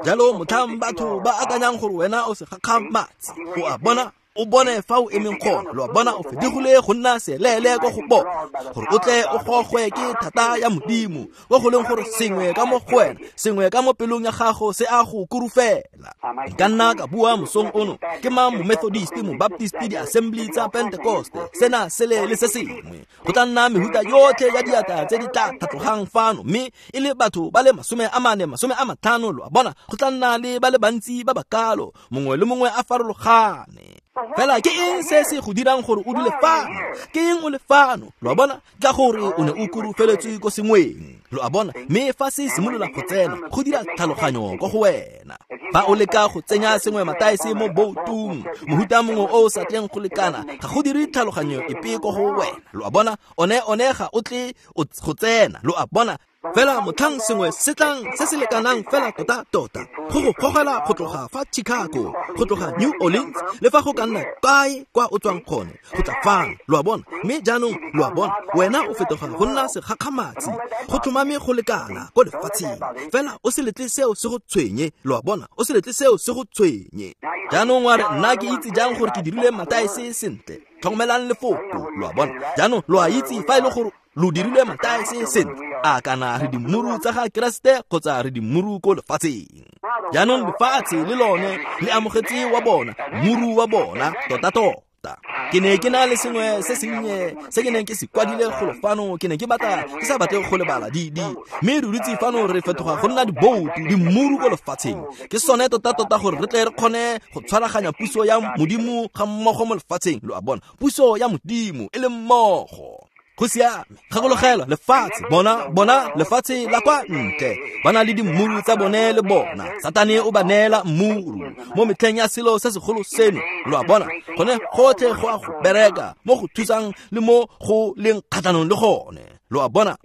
Speaker 1: Jalo motlhang batho ba akanyang gore wena o se gakgamatse, o a bona? O bone fa o emeng gone, lo a bona? O fetogile go nna seelele ko go bona, gore o tle o gogwe ke thata ya Modimo, ko go leng gore sengwe ka mo go wena, sengwe ka mo pelong ya gago se a go kurufela. Nka nna ka bua mosong ono, ke mang mo-Methodist, mo-Baptist, di-Assembly tsa Pentecoste, sena sele le se sengwe. Go tla nna mehuta yotlhe ya diatla tse di tla tlhatlogang fano, mme e le batho ba le masome a mane, masome a matlhano, lo a bona? Go tla nna le ba le bantsi ba ba kalo, mongwe le mongwe a farologane. Fela ke eng se se go dirang gore o dule fano? Ke eng o le fano? Lo a bona? Ka gore o ne o kurufeletswe ko sengweng. Lo a bona? Mme fa se simolola go tsena, go dira tlhaloganyo ko go wena. Fa o leka go tsenya sengwe mataese mo boutung, mohuta mongwe o o sa tleng go lekana, ga go dire tlhaloganyo epe ko go wena. Lo a bona? One one ga o tle go tsena. Lo a bona? Fela motlhang sengwe se tlang se se lekanang fela tota tota go go gogela go tloga fa Chicago, go tloga New Orleans, le fa go ka nna kae kwa o tswang gone, go tla fano. Lo a bona? Mme jaanong lo a bona, wena o fetoga go nna segakgamatsi, go tlhomame go lekana ko lefatsheng. Fela o se letle seo se go tshwenye. Lo a bona? O se letle seo se go tshwenye. Jaanong wa re, nna ke itse jang gore ke dirile mataese sentle? Tlhokomelang lefoko. Lo a bona? Jaanong lo a itse fa e le gore lo dirile mataese sentle, a kana re dimmuru tsa ga Keresete kgotsa re dimmuru ko lefatsheng. Jaanong lefatshe le lone le amogetse wa bona, mmuru wa bona tota-tota. Ke ne ke na le sengwe se sennye se ke neng ke se kwadile golo fano, ke ne ke batla ke sa batle go lebala di di. Mme re dutse fano re fetoga go nna diboutu, dimmuru ko lefatsheng. Ke sone tota-tota gore re tle re kgone go tshwaraganya puso ya Modimo ga mmogo mo lefatsheng. Lo a bona? Puso ya Modimo e le mmogo. Go siame. Gakologelwa lefatshe, bona bona lefatshe la kwa ntle, ba na le dimmuru tsa bone le bona. Satane o ba neela mmuru mo metlheng ya selo se segolo seno. Lo a bona? Gone gotlhe go a go bereka mo go thusang le mo go leng kgatlhanong le gone. Lo a bona?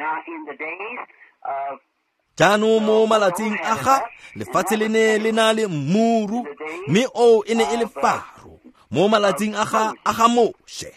Speaker 1: Jaanong mo malatsing a ga lefatshe le ne le na le mmuru, mme oo e ne e le Faro. Mo malatsing a ga a ga Moshe,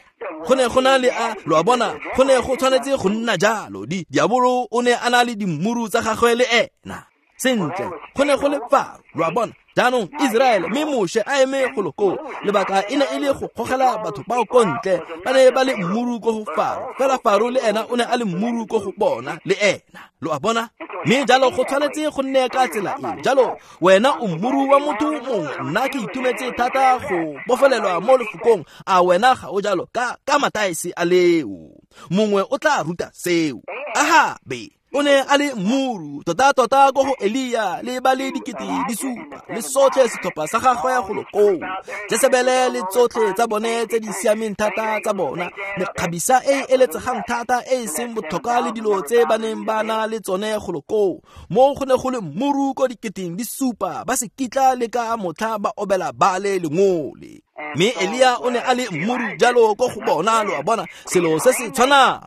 Speaker 1: go ne go na le a, lo a bona, go ne go tshwanetse go nna jalo. Di diabolo o ne a na le dimmuru tsa gagwe le ena. Sentle, go ne go le Faro. Lo a bona? Jaanong Israele, mme Moshe a eme golo koo, lebaka e ne e le go gogela batho bao ko ntle. Ba ne ba le mmuru ko go Faro, fela Faro le ena o ne a le mmuru ko go bona le ena. Lo a bona? Mme jalo go tshwanetse go nne ka tsela e. Jalo wena o mmuru wa motho mongwe. Nna ke itumetse thata go bofelelwa mo lefokong. A wena ga o jalo ka ka mataese a leo? Mongwe o tla ruta seo. Ahabe o ne a le mmuru tota-tota ko go Elia le ba le dikete di supa le sotlhe setlhopha sa gagwe golo koo. Jesebele le tsotlhe tsa bone tse di siameng thata tsa bona, mekgabisa e e eletsegang thata e e seng botlhokwa le dilo tse ba neng ba na le tsone golo koo. Mo go ne go le mmuru ko diketeng di supa, ba se kitla le ka motlha ba obela bale lengole. Mme Elia o ne a le mmuru jalo ko go bona. Lo a bona? Selo se se tshwanang.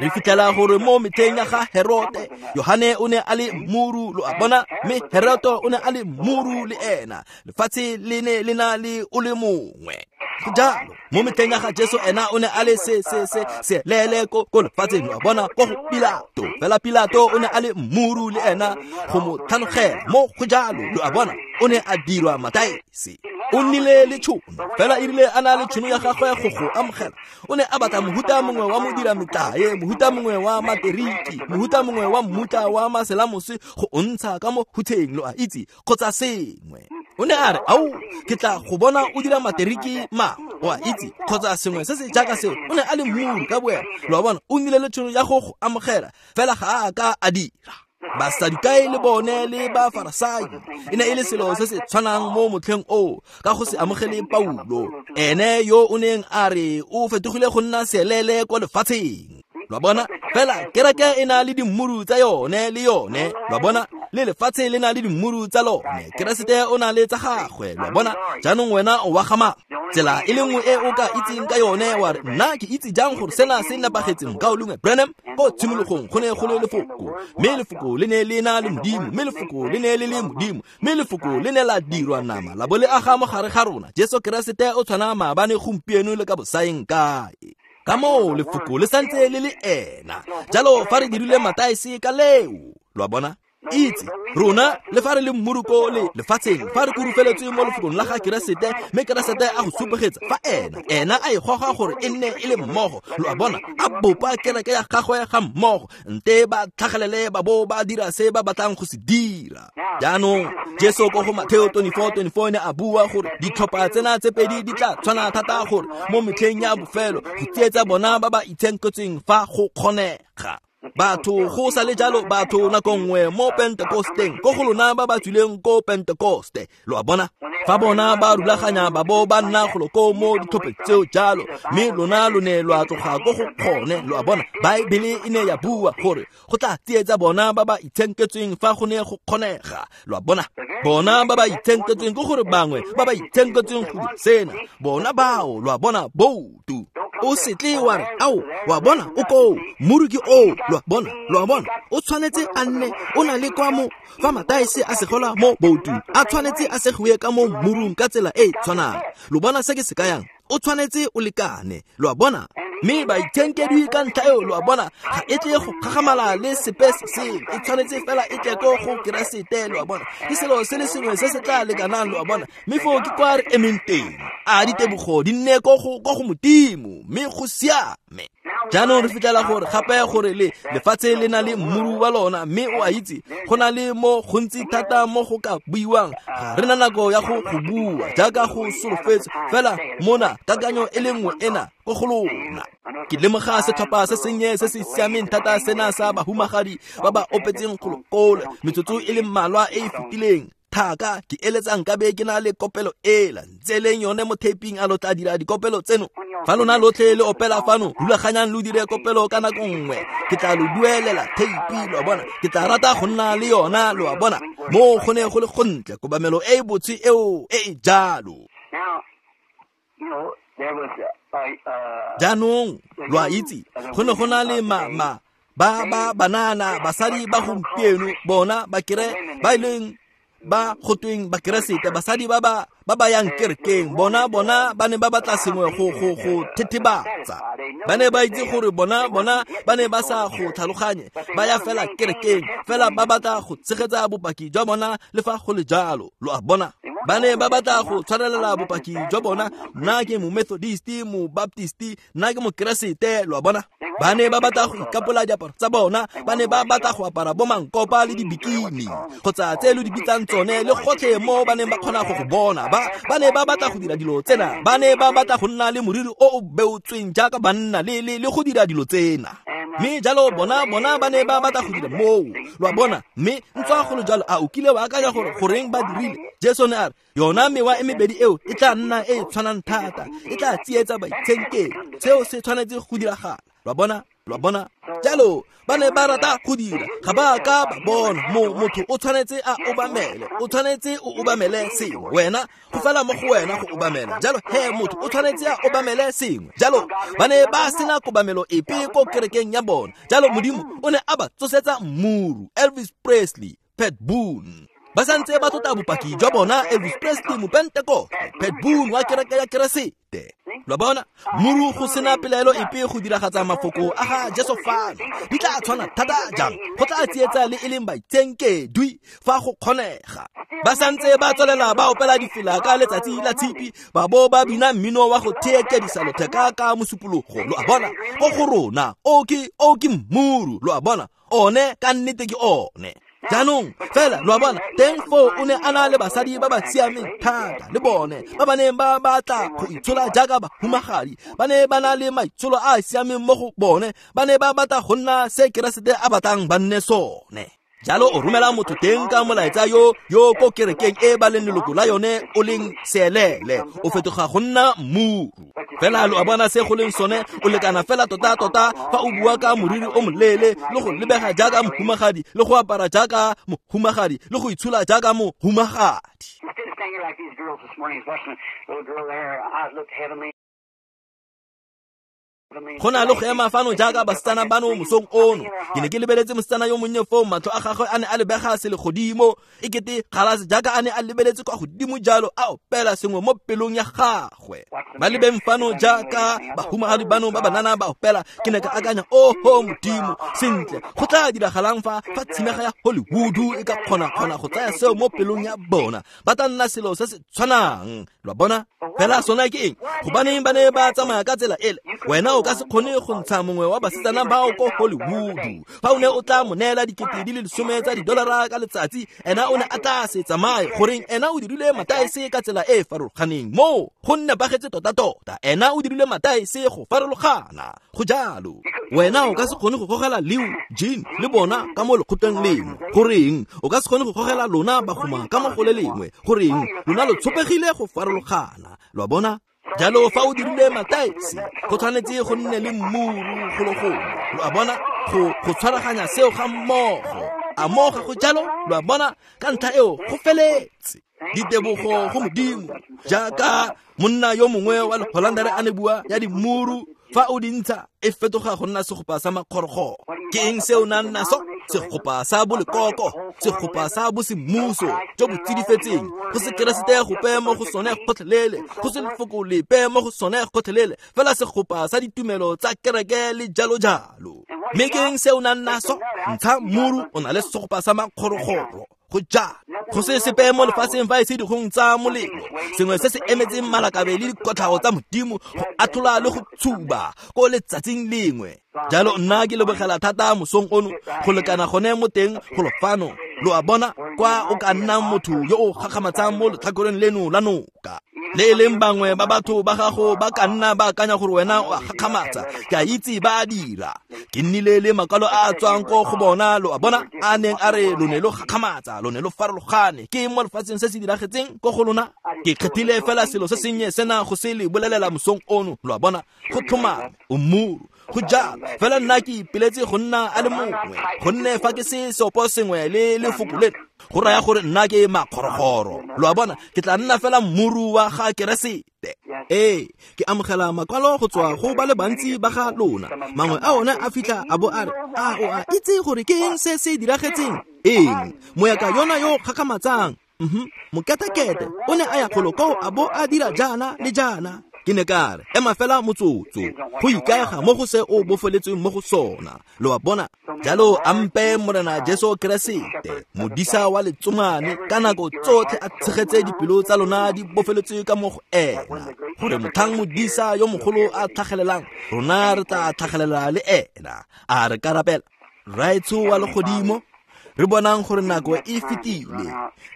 Speaker 1: Re fitlhela gore mo metlheng ya ga Herote, Yohane o ne a le mmuru. Lo a bona? Mme Herote o ne a le mmuru le ena. Lefatshe le ne le na le o le mongwe. Go jalo. Mo metlheng ya ga Jesu ena o ne a le se se se se lele ko ko lefatsheng. Lo a bona? Ko go Pilato. Fela Pilato o ne a le mmuru le ena go mo tlhanogela. Mo go jalo. Lo a bona? O ne a dirwa mataese. O nnile le tšhono, fela e rile a na le tšhono ya gagwe go go amogela, o ne a batla mohuta mongwe wa modira metlae, mohuta mongwe wa materiki, mohuta mongwe wa mmutla wa maselamose go o ntsha ka mo hutheng, lo a itse, kgotsa sengwe. O ne a re, ao, ke tla go bona o dira materiki mangwe, o a itse, kgotsa sengwe se se jaaka seo. O ne a le mmuru ka boena. Lo a bona? O nnile le tšhono ya go go amogela, fela ga a ka a dira. Basadukai le bone le Bafarasai e ne e le selo se se tshwanang mo motlheng oo, ka go se amogele Paulo, ene yo o neng a re o fetogile go nna seelele kwa lefatsheng. Lo a bona? Fela kereke e na le dimmuru tsa yone le yone. Lo a bona? Le lefatshe le na le dimmuru tsa lone. Keresete o na le tsa gagwe. Lo a bona? Jaanong wena o wa ga mang? Tsela e le nngwe e o ka itseng ka yone, wa re, nna ke itse jang gore sena se nepagetse? Mokaulengwe Branham, ko tshimologong go ne go le lefoko, mme lefoko le ne le na le Modimo, mme lefoko le ne le le Modimo, mme lefoko le ne la dirwa nama la bo le aga mo gare ga rona. Jesu Keresete o tshwana maabane, gompieno le ka bosaeng kae. Ka moo lefoko le santse le le ena. Jalo fa re dirile mataese ka leo, lo a bona? Itse rona le fa re le mmuru ko le lefatsheng, fa re kurufeletswe mo lefokong la ga Keresete, mme Keresete a go supegetsa fa ena ena a e goga gore e nne e le mmogo. Lo a bona? A bopa kereke ya gagwe ga mmogo, nte ba tlhagelele ba bo ba dira se ba batlang go se dira. Jaanong Jesu ko go Mateo twenty-four twenty-four ne a bua gore ditlhopha tsena tse pedi di tla tshwana thata gore mo metlheng ya bofelo go tsietsa bona ba ba itshenketsweng fa go kgonega. Batho go sa le jalo batho nako nngwe mo Pentekosteng ko go lona ba ba tswileng ko Pentekoste lo a bona fa bona ba rulaganya ba bo ba nna golo ko mo ditlhopheng tseo jalo mme lona lo ne lwa tloga ko go kgone lo a bona Baebele e ne ya bua gore go tla tsietsa bona ba ba itshenketsweng fa go ne go kgonega lo a bona bona ba ba itshenketsweng ke gore bangwe ba ba itshenketsweng go di sena bona bao lo a bona boutu o se tle wa re ao wa bona o koo mmuru ke oo lo a bona lo a bona o tshwanetse a nne o na le kwa mo fa mataese a segola mo boutung a tshwanetse a segiwe ka mo mmurung ka tsela e e tshwanang lo bona se ke se kayang o tshwanetse o lekane lo a bona mme baitshenkedwi ka ntlha eo lo a bona ga e tle go gagamala le sepe se sengwe e tshwanetse fela e tle ko go Keresete lo a bona ke selo se le sengwe se se tla lekanang lo a bona mme foo ke kwa re emeng teng a ditebogo di nne ko go ko go Modimo mme go siame. Jaanong re fitlhela gore gape gore le lefatshe le na le mmuru wa lona mme o a itse go na le mo gontsi thata mo go ka buiwang ga re na nako ya go go bua jaaka go solofetse fela mona kakanyo e le nngwe ena ko go lona. Ke lemoga setlhopha se sennye se se siameng thata sena sa bahumagadi ba ba opetseng kgolokole metsotso e le mmalwa e e fetileng thaka ke eletsa nkabe ke na le kopelo ela ntse leng yone mo taping a lo tla dira dikopelo tseno fa lona lotlhe le opela fano rulaganyang lo dire kopelo ka nako nngwe ke tla lo duelela tape lo a bona ke tla rata go nna le yona lo a bona mo go ne go le gontle kobamelo e e botse eo e e jalo. Jaanong lo a itse go ne go na le ma ma ba ba banana basadi ba gompieno bona ba kere ba e leng ba gotweng ba Keresete basadi ba ba ba ba yang kerekeng bona bona ba ne ba batla sengwe go go go thethebatsa ba ne ba itse gore bona bona ba ne ba sa go tlhaloganye ba ya fela kerekeng fela ba batla go tshegetsa bopaki jwa bona le fa go le jalo lo a bona ba ne ba batla go tshwarelela bopaki jwa bona nna ke mo Methodist mo Baptist nna ke mo Keresete lo a bona ba ne ba batla go ikapola diaparo tsa bona ba ne ba batla go apara bo mankopa le dibikini kgotsa tse lo di bitsang tsone le gotlhe mo ba neng ba kgona go go bona ba ba ne ba batla go dira dilo tsena ba ne ba batla go nna le moriri o o beotsweng jaaka banna le le le go dira dilo tsena mme jalo bona bona ba ne ba batla go dira moo lo a bona mme ntswa go le jalo a o kile wa akanya gore goreng ba dirile Jesu ne a re yona mewa e mebedi eo e tla nna e e tshwanang thata e tla tsietsa baitshenkedi seo se tshwanetse go diragala lo a bona lo a bona jalo ba ne ba rata go dira ga ba ka ba bona mo motho o tshwanetse a obamele o tshwanetse o obamele sengwe wena go fela mo go wena go obamela jalo he motho o tshwanetse a obamele sengwe jalo ba ne ba sena kobamelo epe ko kerekeng ya bona jalo Modimo o ne a ba tsosetsa mmuru Elvis Presley Pat Boone ba santse ba tlotla bopaki jwa bona Elvis Presley mo Pentekoste Pat Boone wa kereke ya Keresete lo bona mmuru go sena pelaelo epe go diragatsa mafoko a ga Jesu fano di tla tshwana thata jang go tla tsietsa le e leng baitshenkedwi fa go kgonega ba santse ba tswelela ba opela difela ka letsatsi la tshipi ba bo ba bina mmino wa go theekedisa lotheka ka mosupologo lo a bona ko go rona o ke o ke mmuru lo a bona one ka nnete ke one. Jaanong fela lo a bona teng foo o ne a na le basadi ba ba siameng thata le bone ba ba neng ba batla go itshola jaaka bahumagadi ba ne ba na le maitsholo a a siameng mo go bone ba ne ba batla go nna se Keresete a batlang ba nne sone jalo o romela motho teng ka molaetsa yo yo ko kerekeng e ba leng leloko la yone o leng seelele o fetoga go nna mmuru fela lo a bona se go leng sone o lekana fela tota tota fa o bua ka moriri o moleele le go lebega jaaka mohumagadi le go apara jaaka mohumagadi le go itshola jaaka mohumagadi. Go na le go ema fano jaaka basetsana bano mosong ono ke ne ke lebeletse mosetsana yo monnye foo matlho a gagwe a ne a lebega selegodimo e kete galase jaaka a ne a lebeletse kwa godimo jalo a opela sengwe mo pelong ya gagwe ba lebeng fano jaaka bahumagadi bano ba banana ba opela ke ne ka akanya oho Modimo sentle go tla diragalang fa fa tshimega ya Hollywood e ka kgona-kgona go tsaya seo mo pelong ya bona ba tla nna selo se se tshwanang lo a bona fela sona ke eng gobaneng ba ne ba tsamaya ka tsela ele wena o ka se kgone go ntsha mongwe wa basetsana bao ko Hollywood. Fa o ne o tla mo neela dikete di le lesome tsa didolara ka letsatsi, ena o ne a tla se tsamaye. Goreng ena o dirile mataese ka tsela e e farologaneng mo go nepagetse tota-tota. Ena o dirile mataese go farologana. Go jalo. Wena o ka se kgone go gogela Leo, Jean le bona ka mo lekgotleng lengwe. Goreng o ka se kgone go gogela lona bagoma ka mo go le lengwe. Goreng lona lo tshopegile go farologana. Lo a bona? Jalo fa o dirile mataese, go tshwanetse go nne le mmuru go le gongwe. Lo a bona? Go go tshwaraganya seo ga mmogo. A mo ga go jalo? Lo a bona? Ka ntlha eo go feletse. Ditebogo go Modimo. Jaaka monna yo mongwe wa Leholandere a ne bua ya dimuru, fa o di ntsha e fetoga go nna segopa sa makgorokgoro. Ke eng se o nang naso? Segopa sa bolekoko, segopa sa bosemmuso jo bo tsidifetseng, go se Keresete gope mo go sone gotlhelele, go se lefoko lepe mo go sone gotlhelele, fela segopa sa ditumelo tsa kereke le jalo jalo. Mme ke eng se o nang naso? Ntsha mmuru, o na le segopa sa makgorokgoro. Go jalo. Go se sepe mo lefatsheng fa e se dikgong tsa molelo, sengwe se se emetseng malakabe le dikotlhao tsa Modimo go atlhola le go tshuba ko letsatsing lengwe. Jalo nna ke lebogela thata mosong ono go lekana gone mo teng go lofano. Lo a bona kwa o ka nnang motho yo o gakgamatsang mo letlhakoreng leno la noka. Le e leng bangwe ba batho ba gago ba ka nna ba akanya gore wena o a gakgamatsa. Ke a itse ba a dira. Ke nnile le makwalo a a tswang ko go bona, lo a bona, a neng a re lo ne lo gakgamatsa, lo ne lo farologane. Ke eng mo lefatsheng se se diragetseng ko go lona? Ke kgethile fela selo se sennye sena go se le bolelela mosong ono. Lo a bona? Go tlhomame, o mmuru. Go jalo. Fela nna ke ipeletse go nna a le mongwe, gonne fa ke se seopo sengwe le lefoko leno, go raya gore nna ke makgorokgoro. Lo a bona? Ke tla nna fela mmuru wa ga Keresete. Ee, ke amogela makwalo go tswa go ba le bantsi ba ga lona. Mangwe a one a fitlha a bo a re, a o a itse gore ke eng se se diragetseng? Eng? Moyaka yona yo gakgamatsang. Mhm. Moketekete o ne a ya golo koo a bo a dira jaana le jaana. Ke ne ka re, ema fela motsotso, go ikaega mo go se o bofeletsweng mo go sona. Lo a bona? Jalo ampe Morena Jesu Keresete, modisa wa letsomane, ka nako tsotlhe a tshegetse dipelo tsa lona di bofeletswe ka mo go ena, gore motlhang modisa yo mogolo a tlhagelelang, rona re tla tlhagelela le ena. A re ka rapela. Rraetsho wa legodimo, re bonang gore nako e fetile.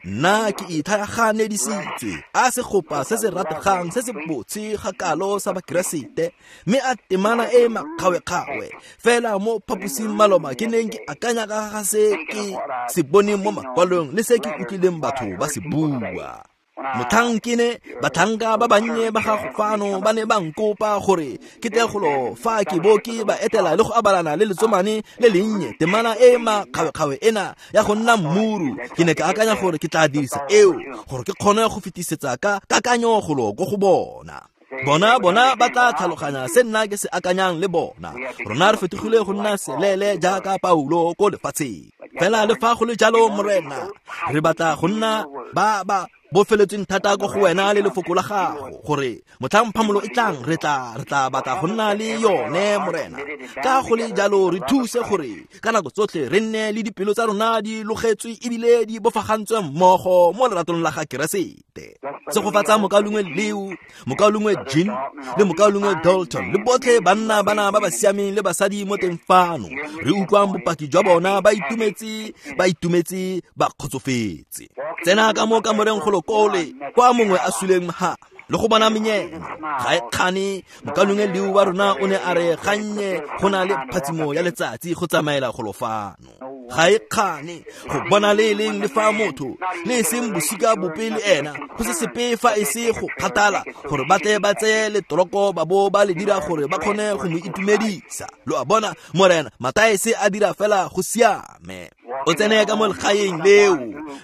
Speaker 1: Nna ke ithaganedisitswe a segopa se se rategang se se botse ga kalo sa Bakeresete, mme a temana e makgawe-kgawe fela mo phaposing maloma ke neng ke akanya ka ga se ke se boneng mo makwalong le se ke utlwileng batho ba se bua. Motlhang ke ne batlhanka ba bannye ba gago fano ba ne ba nkopa gore ke tle golo fa ke bo ke ba etela le go abalana le letsomane le lennye temana e makgawe-kgawe ena ya go nna mmuru. Ke ne ke akanya gore ke tla dirisa eo gore ke kgone go fetisetsa ka kakanyo golo ko go bona. Bona bona ba tla tlhaloganya se nna ke se akanyang le bona. Rona re fetogile go nna selele jaaka Paulo ko lefatsheng. Fela le fa go le jalo, Morena, re batla go nna ba ba bofeletsweng thata ko go wena le lefoko la gago, gore motlhang phamolo e tlang re tla re tla batla go nna le yone, Morena. Ka go le jalo re thuse gore ka nako tsotlhe re nne le dipelo tsa rona di logetswe ebile di bofagantswe mmogo mo leratong la ga Keresete. Segofatsa mokaulengwe Leo, mokaulengwe Jean le mokaulengwe Dalton le botlhe banna bana ba ba siameng le basadi mo teng fano. Re utlwang bopaki jwa bona ba itumetse, ba itumetse, ba kgotsofetse. Tsena ka mo kamoreng go kole kwa mongwe a suleng ha le go bona menyena ga e kgane. Mokaulengwe Leo wa rona o ne a re gannye go na le phatsimo ya letsatsi go tsamaela golo fano. Ga e kgane go bona le e leng le fa motho le e seng bosika bope le ena, go se sepe fa e se go kgathala gore ba tle ba tseye letoroko ba bo ba le dira gore ba kgone go mo itumedisa. Lo a bona, Morena, mataese a dira fela go siame. O tsene ka mo legaeng leo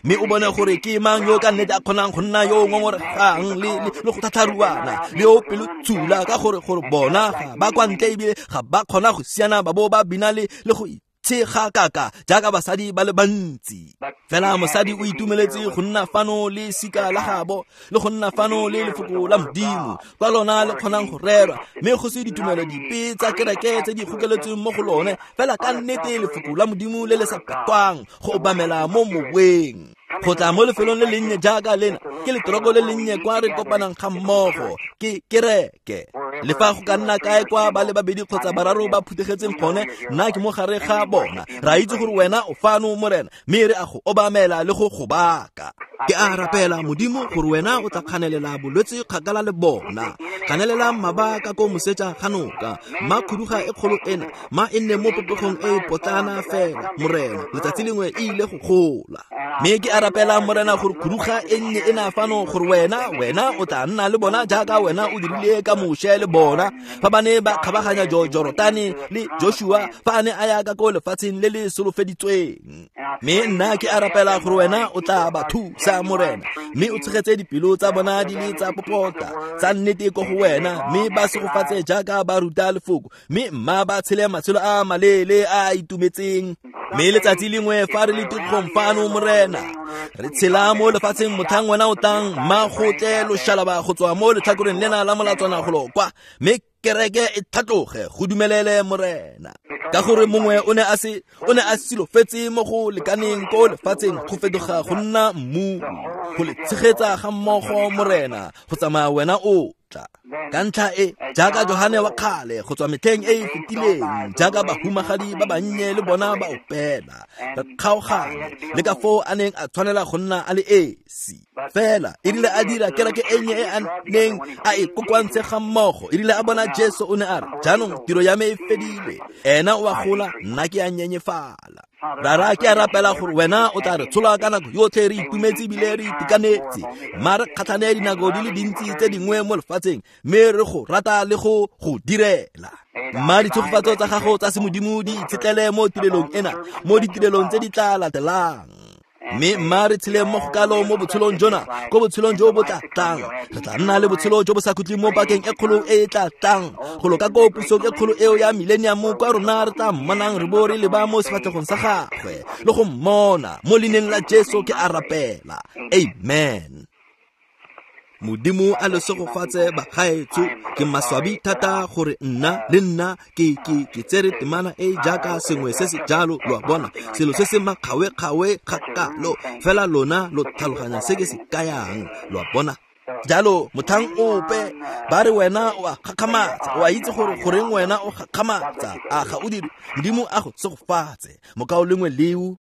Speaker 1: mme o bone gore ke mang yo ka nnete a kgonang go nna yo o ngongoregang le le go thatharuana le yo pelo tshula, ka gore gore bona ga ba kwa ntle ebile ga ba kgona go siana ba bo ba bina le le go tshega kaka jaaka basadi ba le bantsi. Fela mosadi o itumeletse go nna fano le sika la gabo le go nna fano le lefoko la Modimo kwa lona le kgonang go rerwa, mme go se ditumelo dipe tsa kereke tse di gokeletsweng mo go lone, fela ka nnete lefoko la Modimo le le sa patwang go obamela mo moweng. Go tla mo lefelong le lennye jaaka lena ke letoroko le lennye kwa re kopanang ga mmogo ke kereke. Le fa go ka nna kae kwa ba le babedi kgotsa bararo ba phuthegetseng gone, nna ke mo gare ga bona. Re a itse gore wena o fano, Morena, mme re a go obamela le go go baka. Ke a rapela, Modimo, gore wena o tla kganelela bolwetse kgakala le bona. Kganelela mmaba ka ko moseja ga noka. Mma khuduga e kgolo ena, ma e nne mo popegong e potlana fela, Morena, letsatsi lengwe e ile go gola. Mme ke a rapela, Morena, gore khuduga e nnye ena fano, gore wena, wena o tla nna le bona jaaka wena o dirile ka Moshe le bona fa ba ne ba kgabaganya Jorotane le Joshua fa a ne a ya ka ko lefatsheng le le solofeditsweng. Mme nna ke a rapela gore wena o tla ba thusa, Morena, mme o tshegetse dipelo tsa bona di le tsa popota tsa nnete ko go wena, mme ba segofatse jaaka ba ruta lefoko, mme mma ba tshele matshelo a maleele a a itumetseng. Mme letsatsi lengwe fa re le tikgong fano, Morena, re tshela mo lefatsheng motlhang wena o tlang, mma go tle loshalaba go tswa mo letlhakoreng lena la molatswana golo kwa, mme kereke e tlhatloge go dumelele, Morena, ka gore mongwe o ne a se o ne a silofetse mo go lekaneng ko lefatsheng go fetoga go nna mmu, go le tshegetsa ga mmogo, Morena, go tsamaya wena o tla. Ka ntlha e, jaaka Johane wa kgale go tswa metlheng e e fetileng, jaaka bahumagadi ba bannye le bona ba opela, re kgaogane le ka foo a neng a tshwanela go nna a le esi. Fela e rile a dira kereke e nnye e a neng a e kokoantse ga mmogo, e rile a bona Jesu o ne a re, jaanong tiro ya me e fedile, ena o a gola, nna ke a nyenyefala. Rara, ke a rapela gore wena o tla re tshola ka nako yotlhe re itumetse ebile re itekanetse, mma re kgatlhane dinako di le dintsi tse dingwe mo lefatsheng, mme re go rata le go go direla. Mma ditshegofatso tsa gago tsa semodimo di itshetlele mo tirelong ena, mo ditirelong tse di tla latelang. Mme mma re tshele mo go kalo mo botshelong jona, ko botshelong jo bo tla tlang. Re tla nna le botshelo jo bo sa khutleng mo pakeng e kgolo e e tla tlang, golo ka ko pusong e kgolo eo ya millennium, kwa rona re tla mmonang re bo re leba mo sefatlhegong sa gagwe le go mmona. Mo leineng la Jesu ke a rapela, amen. Modimo a le segofatse bagaetsho. Ke maswabi thata gore nna le nna ke ke ke tsere temana e jaaka sengwe se se jalo, lo a bona, selo se se makgawe-kgawe kgakalo, fela lona lo tlhaloganya se ke se kayang, lo a bona. Jalo motlhang ope ba re wena o a gakgamatsa, o a itse gore goreng wena o gakgamatsa, a ga o dire. Modimo a go segofatse, mokao lengwe leo.